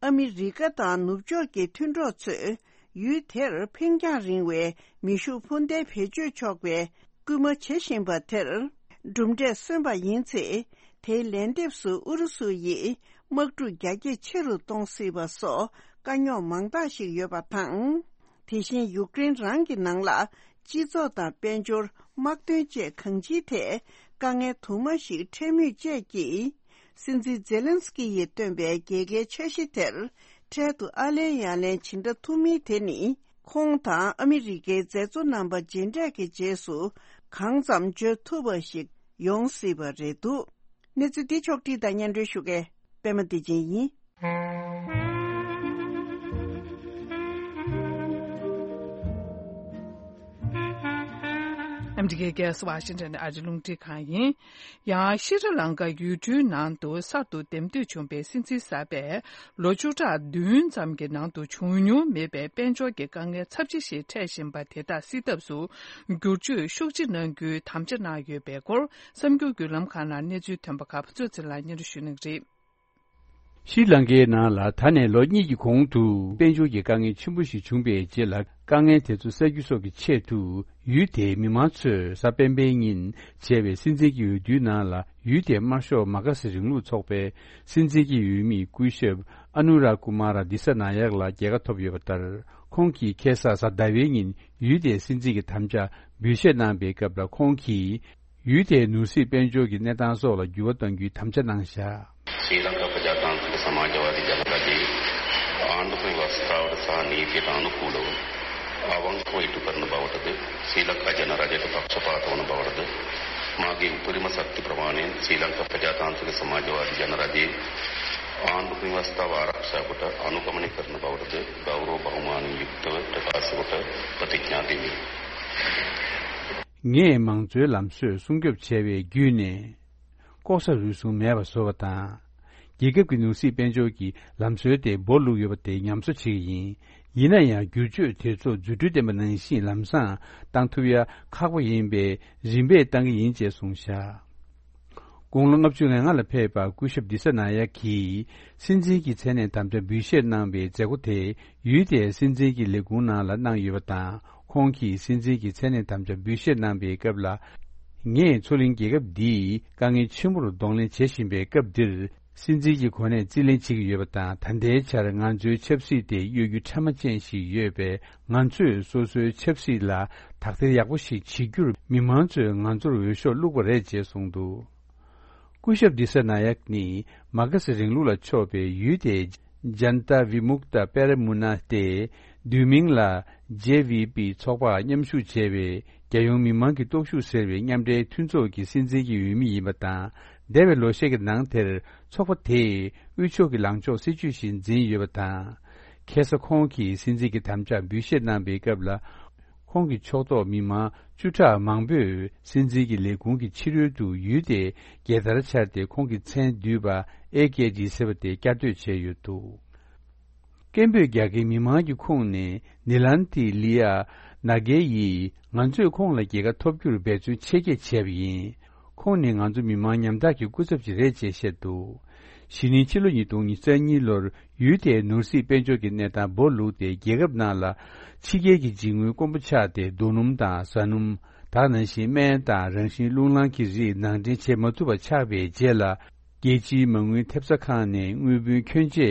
ཨ་མི་རི་ཀ་དང་ནུབ་ཕྱོགས་ཀྱི་མཐུན་གྲོགས་ཚོས་ ཡུལ་དེར་འཕེན་རྒྱང་རིང་བའི་མེ་ཤུགས་འཕུར་མདེལ་བེད་སྤྱོད་ཆོག་པའི་སྐུལ་མ་བྱེད་བཞིན་པ་དེར། གྲུབ་འབྲས་སོན་པ་ཡིན་ཚེ། དེའི་ལན་འདེབས་སུ་ཨུ་རུ་སུ་ཡིས་དམག་འཁྲུག་རྒྱ་སྐྱེད་ཆེ་རུ་གཏོང་སྲིད་པ་སོགས་དཀའ་རྙོག་མང་དག་ཞིག་ཡོད་པ་དང་། དེ་བཞིན་ཡུཀ་རེན་རང་གི་ནང་ལ་སྤྱི་ཚོགས་དང་དཔལ་འབྱོར། དམག་དོན་བཅས་གང་ཅིའི་ཐད་དཀའ་ངལ་དུ་མ་ཞིག་འཕྲད་མུས་བཅས་ཀྱིས། སྲིད་འཛིན་ཛེ་ལན་སི་ཀི་ཡིས་བཏོན་པའི་རྒྱལ་ཁའི་འཆར་གཞི་དེར་འཕྲལ་དུ་ཨ་ལན་ཡ་ལན་ཇི་འདྲ་ཐུབ་མིན་དེ་ནི། ཁོང་དང་ཨ་མི་རི་ཀའི་མཛད་གཙོ་རྣམ་པ་མཇལ་འཕྲད་ཀྱི་རྗེས་སུ་གང་ཙམ་བརྗོད་ཐུབ་པ་ཞིག་ཡོང་སྲིད་པ་རེད་འདུག་གནས་ཚུལ་འདི་ཕྱོགས་བསྒྲིགས་དང་སྙན་སྒྲོན་ཞུ་མཁན་པད་མ་བདེ་ཆེན་ཡིན། ཨ་མི་རི་ཀའི་རྒྱལ་ས་ཝ་ཤིང་ཊོན་ཨ་རི་རླུང་འཕྲིན་ཁང་ཡིན། ཡང་ཤྲི་ལང་ཀ་ཡུལ་གྲུའི་ནང་དུ་གསར་དུ་འདེམས་ཐོན་བྱུང་བའི་སྲིད་འཛིན་གསར་པས། ལོ་བཅུ་ཕྲག་བདུན་ཙམ་གྱི་ནང་དུ་བྱུང་མྱོང་མེད་པའི་དཔལ་འབྱོར་གྱི་དཀའ་ངལ་ཚབས་ཆེ་ཞིག་འཕྲད་བཞིན་པ་དེ་དག་སེལ་ཐབས་སུ་བསྒྱུར་བཅོས་ཤུགས་ཆེ་གནང་རྒྱུའི་དམ་བཅའ་གནང་ཡོད་པའི་སྐོར། གསར་འགྱུར་བརྒྱུད་ལམ་ཁག་ནང་གནས་ཚུལ་ཐོན་པ་ཁག་ཕུན་ཚོགས་ཚེ་རིང་ལགས་སྙན་སྒྲོན་ཞུ་གནང་གི་རེད། ཤྲི་ལང་ཀའི་ནང་ལ་ད་ནས་ལོ་གཉིས་ཀྱི་གོང་དུ་དཔལ་འབྱོར་གྱི་དཀའ་ངལ་ཆེན་པོ་ཞིག་བྱུང་པའི་རྗེས་ལ། དཀའ་ངལ་དེ་ཚོ་སེལ་རྒྱུ་སོགས་ཀྱི་ཆེད་དུ། ཡུལ་དེའི་མི་མང་ཚོས་གཟའ་སྤེན་པའི་ཉིན་བྱས་པའི་སྲིད་འཛིན་གྱི་འོས་བསྡུའི་ནང་ལ། ཡུལ་དེའི་དམར་ཤོག་མ་ཀ་སི་རིང་ལུགས་ཚོགས་པའི་སྲིད་འཛིན་གྱི་འོས་མི་སྐུ་ཞབས་ཨ་ནུ་ར་ཀུ་མ་ར་དི་ས་ན་ཡག་ལ་རྒྱལ་ཁ་ཐོབ་ཡོད་པ་ལྟར། ཁོང་གིས་ཁ་སང་གཟའ་ཟླ་བའི་ཉིན་ཡུལ་དེའི་སྲིད་འཛིན་གྱི་དམ་བཅའ་འབུལ་བཞེས་གནང་པའི་སྐབས་ལ། ཁོང་གིས། ཡུལ་དེའི་ནོར་སྲིད་དཔལ་འབྱོར་གྱི་གནས་སྟངས་སོགས་ལ་འགྱུར་བ་གཏང་རྒྱུའི་དམ་བཅའ་གནང་བཞག श्रीलंका प्रजातांत्रिक समाजवादी जनता जी आंदोलन व्यवस्था और सह नीति का अनुकूल आवांग को इटु करने बावतद श्रीलंका जनराज्य पक्षपात होने बावतद मागे उपरिम शक्ति प्रमाणे श्रीलंका प्रजातांत्रिक समाजवादी जनराज्य आंदोलन व्यवस्था व आरक्षा को अनुगमन करने बावतद गौरव बहुमान युक्त प्रकाश को प्रतिज्ञा देवी ངས་མང་གཙོའི་ལམ་སྲོལ་སྲུང་སྐྱོབ་བྱས་པའི་བརྒྱུད་ནས། ལྐོག་ཟ་རུལ་སུངས་མེད་པ་བཟོ་བ་དང་། རྒྱལ་ཁབ་ཀྱི་ནོར་སྲིད་དཔལ་འབྱོར་གྱི་ལམ་སྲོལ་དེ་སྦོ་ལུག་ཡོད་པ་དེ་ཉམས་གསོ་བྱེད་ཀྱི་ཡིན། ཡིན་ན་ཡང་། བསྒྱུར་བཅོས་དེ་ཚོ་རྫུ་འཕྲུལ་ལྡན་པ་ནང་བཞིན་ལམ་སང་བཏང་ཐུབ་ཡ་ཁག་པོ་ཡིན་པས། རིམ་པས་བཏང་གི་ཡིན་ཅེས་གསུངས་བཞག་དགུང་ལོ་ལྔ་བཅུ་ང་ལྔ་ལ་ཕེབས་པ་སྐུ་ཞབས་དི་ས་ན་ཡག་གིས་སྲིད་འཛིན་གྱི་མཚན་གནས་དམ་བཅའ་འབུལ་བཞེས་གནང་བའི་མཛད་སྒོ་དེ་ཡུལ་དེའི་སྲིད་འཛིན་གྱི་ལས་ཁུངས་ནང་ལ་གནང་ཡོད་པ་དང་། ཁོང་གིས་སྲིད་འཛིན་གྱི་མཚན་གནས་དམ་བཅའ་འབུལ་བཞེས་གནང་པའི་སྐབས་ལ། ངས་མཚོ་གླིང་རྒྱལ་ཁབ་འདིའི་དཀའ་ངལ་ཆེན་པོར་གདོང་ལེན་བྱེད་བཞིན་པའི་སྐབས་འདིར། སྲིད་འཛིན་གྱི་གོ་གནས་རྩིས་ལེན་བྱེད་ཀྱི་ཡོད་པ་དང་། ད་ལྟའི་ཆར་ང་ཚོའི་ཆབ་སྲིད་དེ་གཡོ་སྒྱུ་ཕྲ་མ་ཅན་ཞིག་ཡོད་པས། ང་ཚོས་སོ་སོའི་ཆབ་སྲིད་ལ་དག་ཐེར་ཡག་པོ་ཞིག་བྱེད་རྒྱུར་མི་མང་ཚོས་ང་ཚོར་འོས་ཤོག་བླུགས་པ་རེད་ཅེས་གསུངས་འདུག་སྐུ་ཞབས་དི་ས་ན་ཡག་ནི་མ་ཀ་སི་རིང་ལུགས་ལ་ཕྱོགས་པའི་ཡུལ་དེའི་ཇན་ཏ་བི་མུག་ཏ་པེ་ར་མུ་ན་སྟེ། བསྡུས་མིང་ལ་ཇེ་བི་པི་ཚོགས་པར་མཉམ་ཞུགས་བྱས་པའི་རྒྱལ་ཡོངས་མི་མང་གི་སྟོབས་ཤུགས་ཟེར་བའི་མཉམ་འབྲེལ་མཐུན་ཚོགས་ཀྱི་སྲིད་འཛིན་གྱི་འོས་མི་ཡིན་པ་དང་། འདས་པའི་ལོ་ཤས་ཀྱི་ནང་དེར་ཚོགས་པ་དེས་དབུས་ཕྱོགས་ཀྱི་ལངས་ཕྱོགས་སྲིད་བྱུས་ཤིག་འཛིན་ཡོད་པ་དང་། ཁ་སང་ཁོང་གིས་སྲིད་འཛིན་གྱི་དམ་བཅའ་འབུལ་བཞེས་གནང་པའི་སྐབས་ལ། ཁོང་གི་ཕྱོགས་གཏོགས་མི་མང་བཅུ་ཕྲག་མང་པོས་སྲིད་འཛིན་གྱི་ལས་ཁུངས་ཀྱི་ཕྱི་རོལ་དུ་ཡུལ་དེའི་རྒྱལ་དར་འཕྱར་ཏེ། ཁོང་གི་མཚན་བསྡུས་པ་ཨེ་ཀེ་ཌི་ཟེར་བ་དེ་བསྐྱར་ཟློས་བྱས་ཡོད་འདུག་སྐད་འབོད་རྒྱག་མཁན་མི་མང་གི་ཁོངས་ནས་ནི་ལན་ཏི་ལི་ཡ་ན་གེ་ཡིས། ང་ཚོས་ཁོང་ལ་རྒྱལ་ཁ་ཐོབ་རྒྱུར་འབད་བརྩོན་ཆེ་བསྐྱེད་བྱས་པ་ཡིན། ཁོང་ནི་ང་ཚོ་མི་མང་ཉམ་ཐག་གི་སྐུ་ཚབ་ཅིག་རེད་ཅེས་བཤད་འདུག་གཞེས་ནིང་ཕྱི་ལོ་ཉིས་སྟོང་ཉི་ཤུ་རྩ་གཉིས་ལོར་ཡུལ་དེའི་ནོར་སྲིད་དཔལ་འབྱོར་གྱི་གནས་སྟངས་སྦོ་ལུག་སྟེ། རྒྱལ་ཁབ་ནང་ལ་ཕྱི་རྒྱལ་གྱི་འཇིགས་དངུལ་དཀོན་པོ་ཆགས་ཏེ། རྡོ་སྣུམ་དང་བཟའ་སྣུམ། ད་ག་ནང་བཞིན་སྨན་དང་རང་བཞིན་རླུང་ལངས་ཀྱི་རིགས་ནང་འདྲེན་བྱེད་མ་ཐུབ་པ་ཆགས་པའི་རྗེས་ལ། རྒྱལ་སྤྱིའི་མ་དངུལ་ཐེབས་རྩ་ཁང་ནས་དངུལ་བུན་ཁྱོན་ཆེ་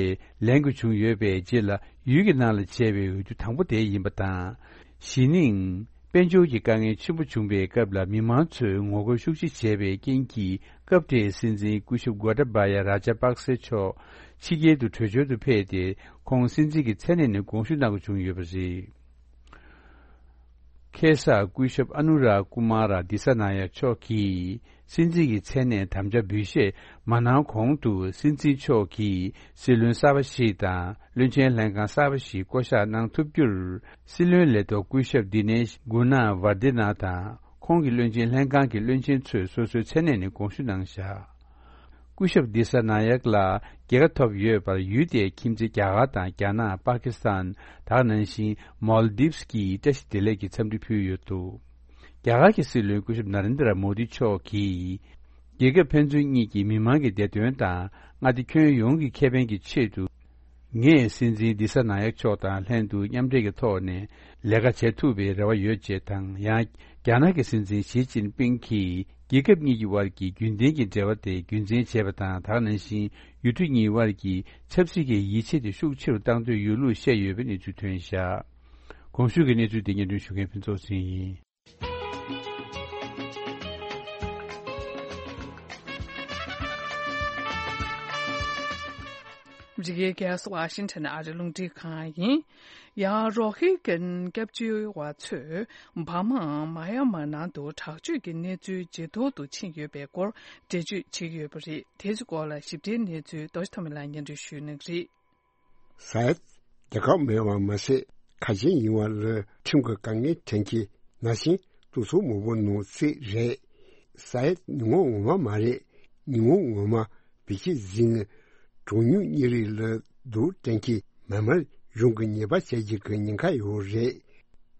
ལེན་དགོས་བྱུང་ཡོད་པའི་རྗེས་ལ། ཡུལ་གྱི་ནང་ལ་བྱས་པའི་འོས་བསྡུ་དང་པོ་དེ་ཡིན་པ་དང་། གཞེས་ནིང་། དཔལ་འབྱོར་གྱི་དཀའ་ངལ་ཆེན་པོ་བྱུང་བའི་སྐབས་ལ། མི་མང་ཚོས་ངོ་རྒོལ་ཤུགས་ཆེ་བྱས་པའི་རྐྱེན་གྱིས། སྐབས་དེའི་སྲིད་འཛིན་སྐུ་ཞབས་གོ་ཏཱ་བཱ་ཡ་རཱ་ཇཱ་པག་སེ་མཆོག་ཕྱི་རྒྱལ་དུ་བྲོས་བྱོལ་དུ་ཕེབས་ཏེ། ཁོང་སྲིད་འཛིན་གྱི་མཚན་གནས་ནས་དགོངས་ཞུ་གནང་དགོས་བྱུང་ཡོད་པ་རེད། ཁ་སང་སྐུ་ཞབས་ཨ་ནུ་ར་ཀུ་མ་ར་དི་ས་ན་ཡ་མཆོག་གིས། སྲིད་འཛིན་གྱི་མཚན་གནས་དམ་བཅའ་འབུལ་བཞེས་མ་གནང་གོང་དུ། སྲིད་འཛིན་མཆོག་གིས་སྲིད་བློན་གསར་པ་ཞིག་དང་། བློན་ཆེན་ལྷན་ཁང་གསར་པ་ཞིག་བསྐོ་གཞག་གནང་ཐུབ་རྒྱུར། སྲིད་བློན་ལས་ཐོག་སྐུ་ཞབས་དི་ནེཤ་གུ་ན་ཝར་དི་ན་དང་། ཁོང་གི་བློན་ཆེན་ལྷན་ཁང་གི་བློན་ཆེན་ཚོས་སོ་སོའི་མཚན་གནས་ནས་དགོངས་ཞུ་གནང་བཞག་སྐུ་ཞབས་དི་ས་ན་ཡག་ལ་རྒྱལ་ཁ་ཐོབ་ཡོད་པར། ཡུལ་དེའི་ཁྱིམ་མཚེས་རྒྱ་གར་དང་། རྒྱ་ནག་པ་ཀི་སི་ཐན། ད་ག་ནང་བཞིན་མོལ་དིབ་སི་གིས་བཀྲ་ཤིས་བདེ་ལེགས་ཀྱི་འཚམས་འདྲི་ཕུལ་ཡོད་འདུག་རྒྱ་གར་གྱི་སྲིད་བློན་སྐུ་ཞབས་ན་རེན་དྲ་མོ་དི་མཆོག་གིས། རྒྱལ་ཁབ་ཕན་ཚུན་གཉིས་ཀྱི་མི་མང་གི་བདེ་དོན་དང་། མངའ་སྡེ་ཁྱོན་ཡོངས་ཀྱི་ཁེ་ཕན་གྱི་ཆེད་དུ། ངས་སྲིད་འཛིན་ལི་ས་ན་ཡག་མཆོག་དང་ལྷན་དུ་མཉམ་འབྲེལ་གྱི་ཐོག་ནས་ལས་ཀ་བྱེད་ཐུབ་པའི་རེ་བ་ཡོད་ཅེས་དང་། ཡང་རྒྱ་ནག་གི་སྲིད་འཛིན་ཞི་ཅིན་ཕིང་གིས་རྒྱལ་ཁབ་གཉིས་ཀྱི་དབར་གྱི་རྒྱུན་ལྡན་གྱི་འབྲེལ་བ་དེ་རྒྱུན་འཛིན་བྱས་པ་དང་། ད་ག་ནང་བཞིན་ཡུལ་གྲུ་གཉིས་དབར་གྱི་ཆབ་སྲིད་ཀྱི་ཡིད་ཆེས་དེ་ཤུགས་ཆེ་རུ་གཏང་འདོད་ཡོད་ལུགས་བཤད་ཡོད་པའི་གནས་ཚུལ་ཐོན་བཞག་གོང་ཞུས་ཀྱི་གནས་ཚུལ་དེ་སྙན་སྒྲོན་ཞུ་མཁན་ཕུན་ཚོགས་ཚེ་རིང་ཡིན། རི་ཀའི་རྒྱལ་ས་ཝ་ཤིང་ཊོན་ཨ་རི་རླུང་འཕྲིན་ཁང་ཡིན། ཡང་རོ་ཧི་གན་སྐྱབས་བཅོལ་བ་ཚོས་འབར་མའམ་མ་ཡ་མ་ནང་དུ་དྲག་སྤྱོད་ཀྱི་གནས་ཚུལ་ཇེ་སྡུག་ཏུ་ཕྱིན་ཡོད་པའི་སྐོར་འགྲེལ་བརྗོད་བྱེད་ཀྱི་ཡོད་པ་རེད། དེའི་སྐོར་ལ་ཞིབ་ཕྲའི་གནས་ཚུལ་རྡོ་རྗེ་ཐོགས་མེད་ལགས་སྙན་སྒྲོན་ཞུ་གནང་གི་རེད། ས་ཡད་རྒྱལ་ཁབ་མེད་པ་མ་ཟད། ཁ་ཆེ་ཡིན་པ་ལ་ཁྲིམས་ཀྱི་དཀའ་ངལ་འཕྲད་མཁན་ནང་བཞིན་སྡུག་སོ་མང་པོ་ནང་གཅིག་རེད། ས་ཡད་ཉིན་མོ་ངོ་མ་མ་རེད། ཉིན་མོ་ངོ་མ་བེད་སྤྱད་བཟུང་ནས་གྲངས་ཉུང་གཉིས་རིགས་ལ་སྡུག་དྲན་གྱི་མེན་མར་གཞུང་གི་ཉེས་པ་བྱས་རྒྱུ་གི་ཉེན་ཁ་ཡོད་རེད།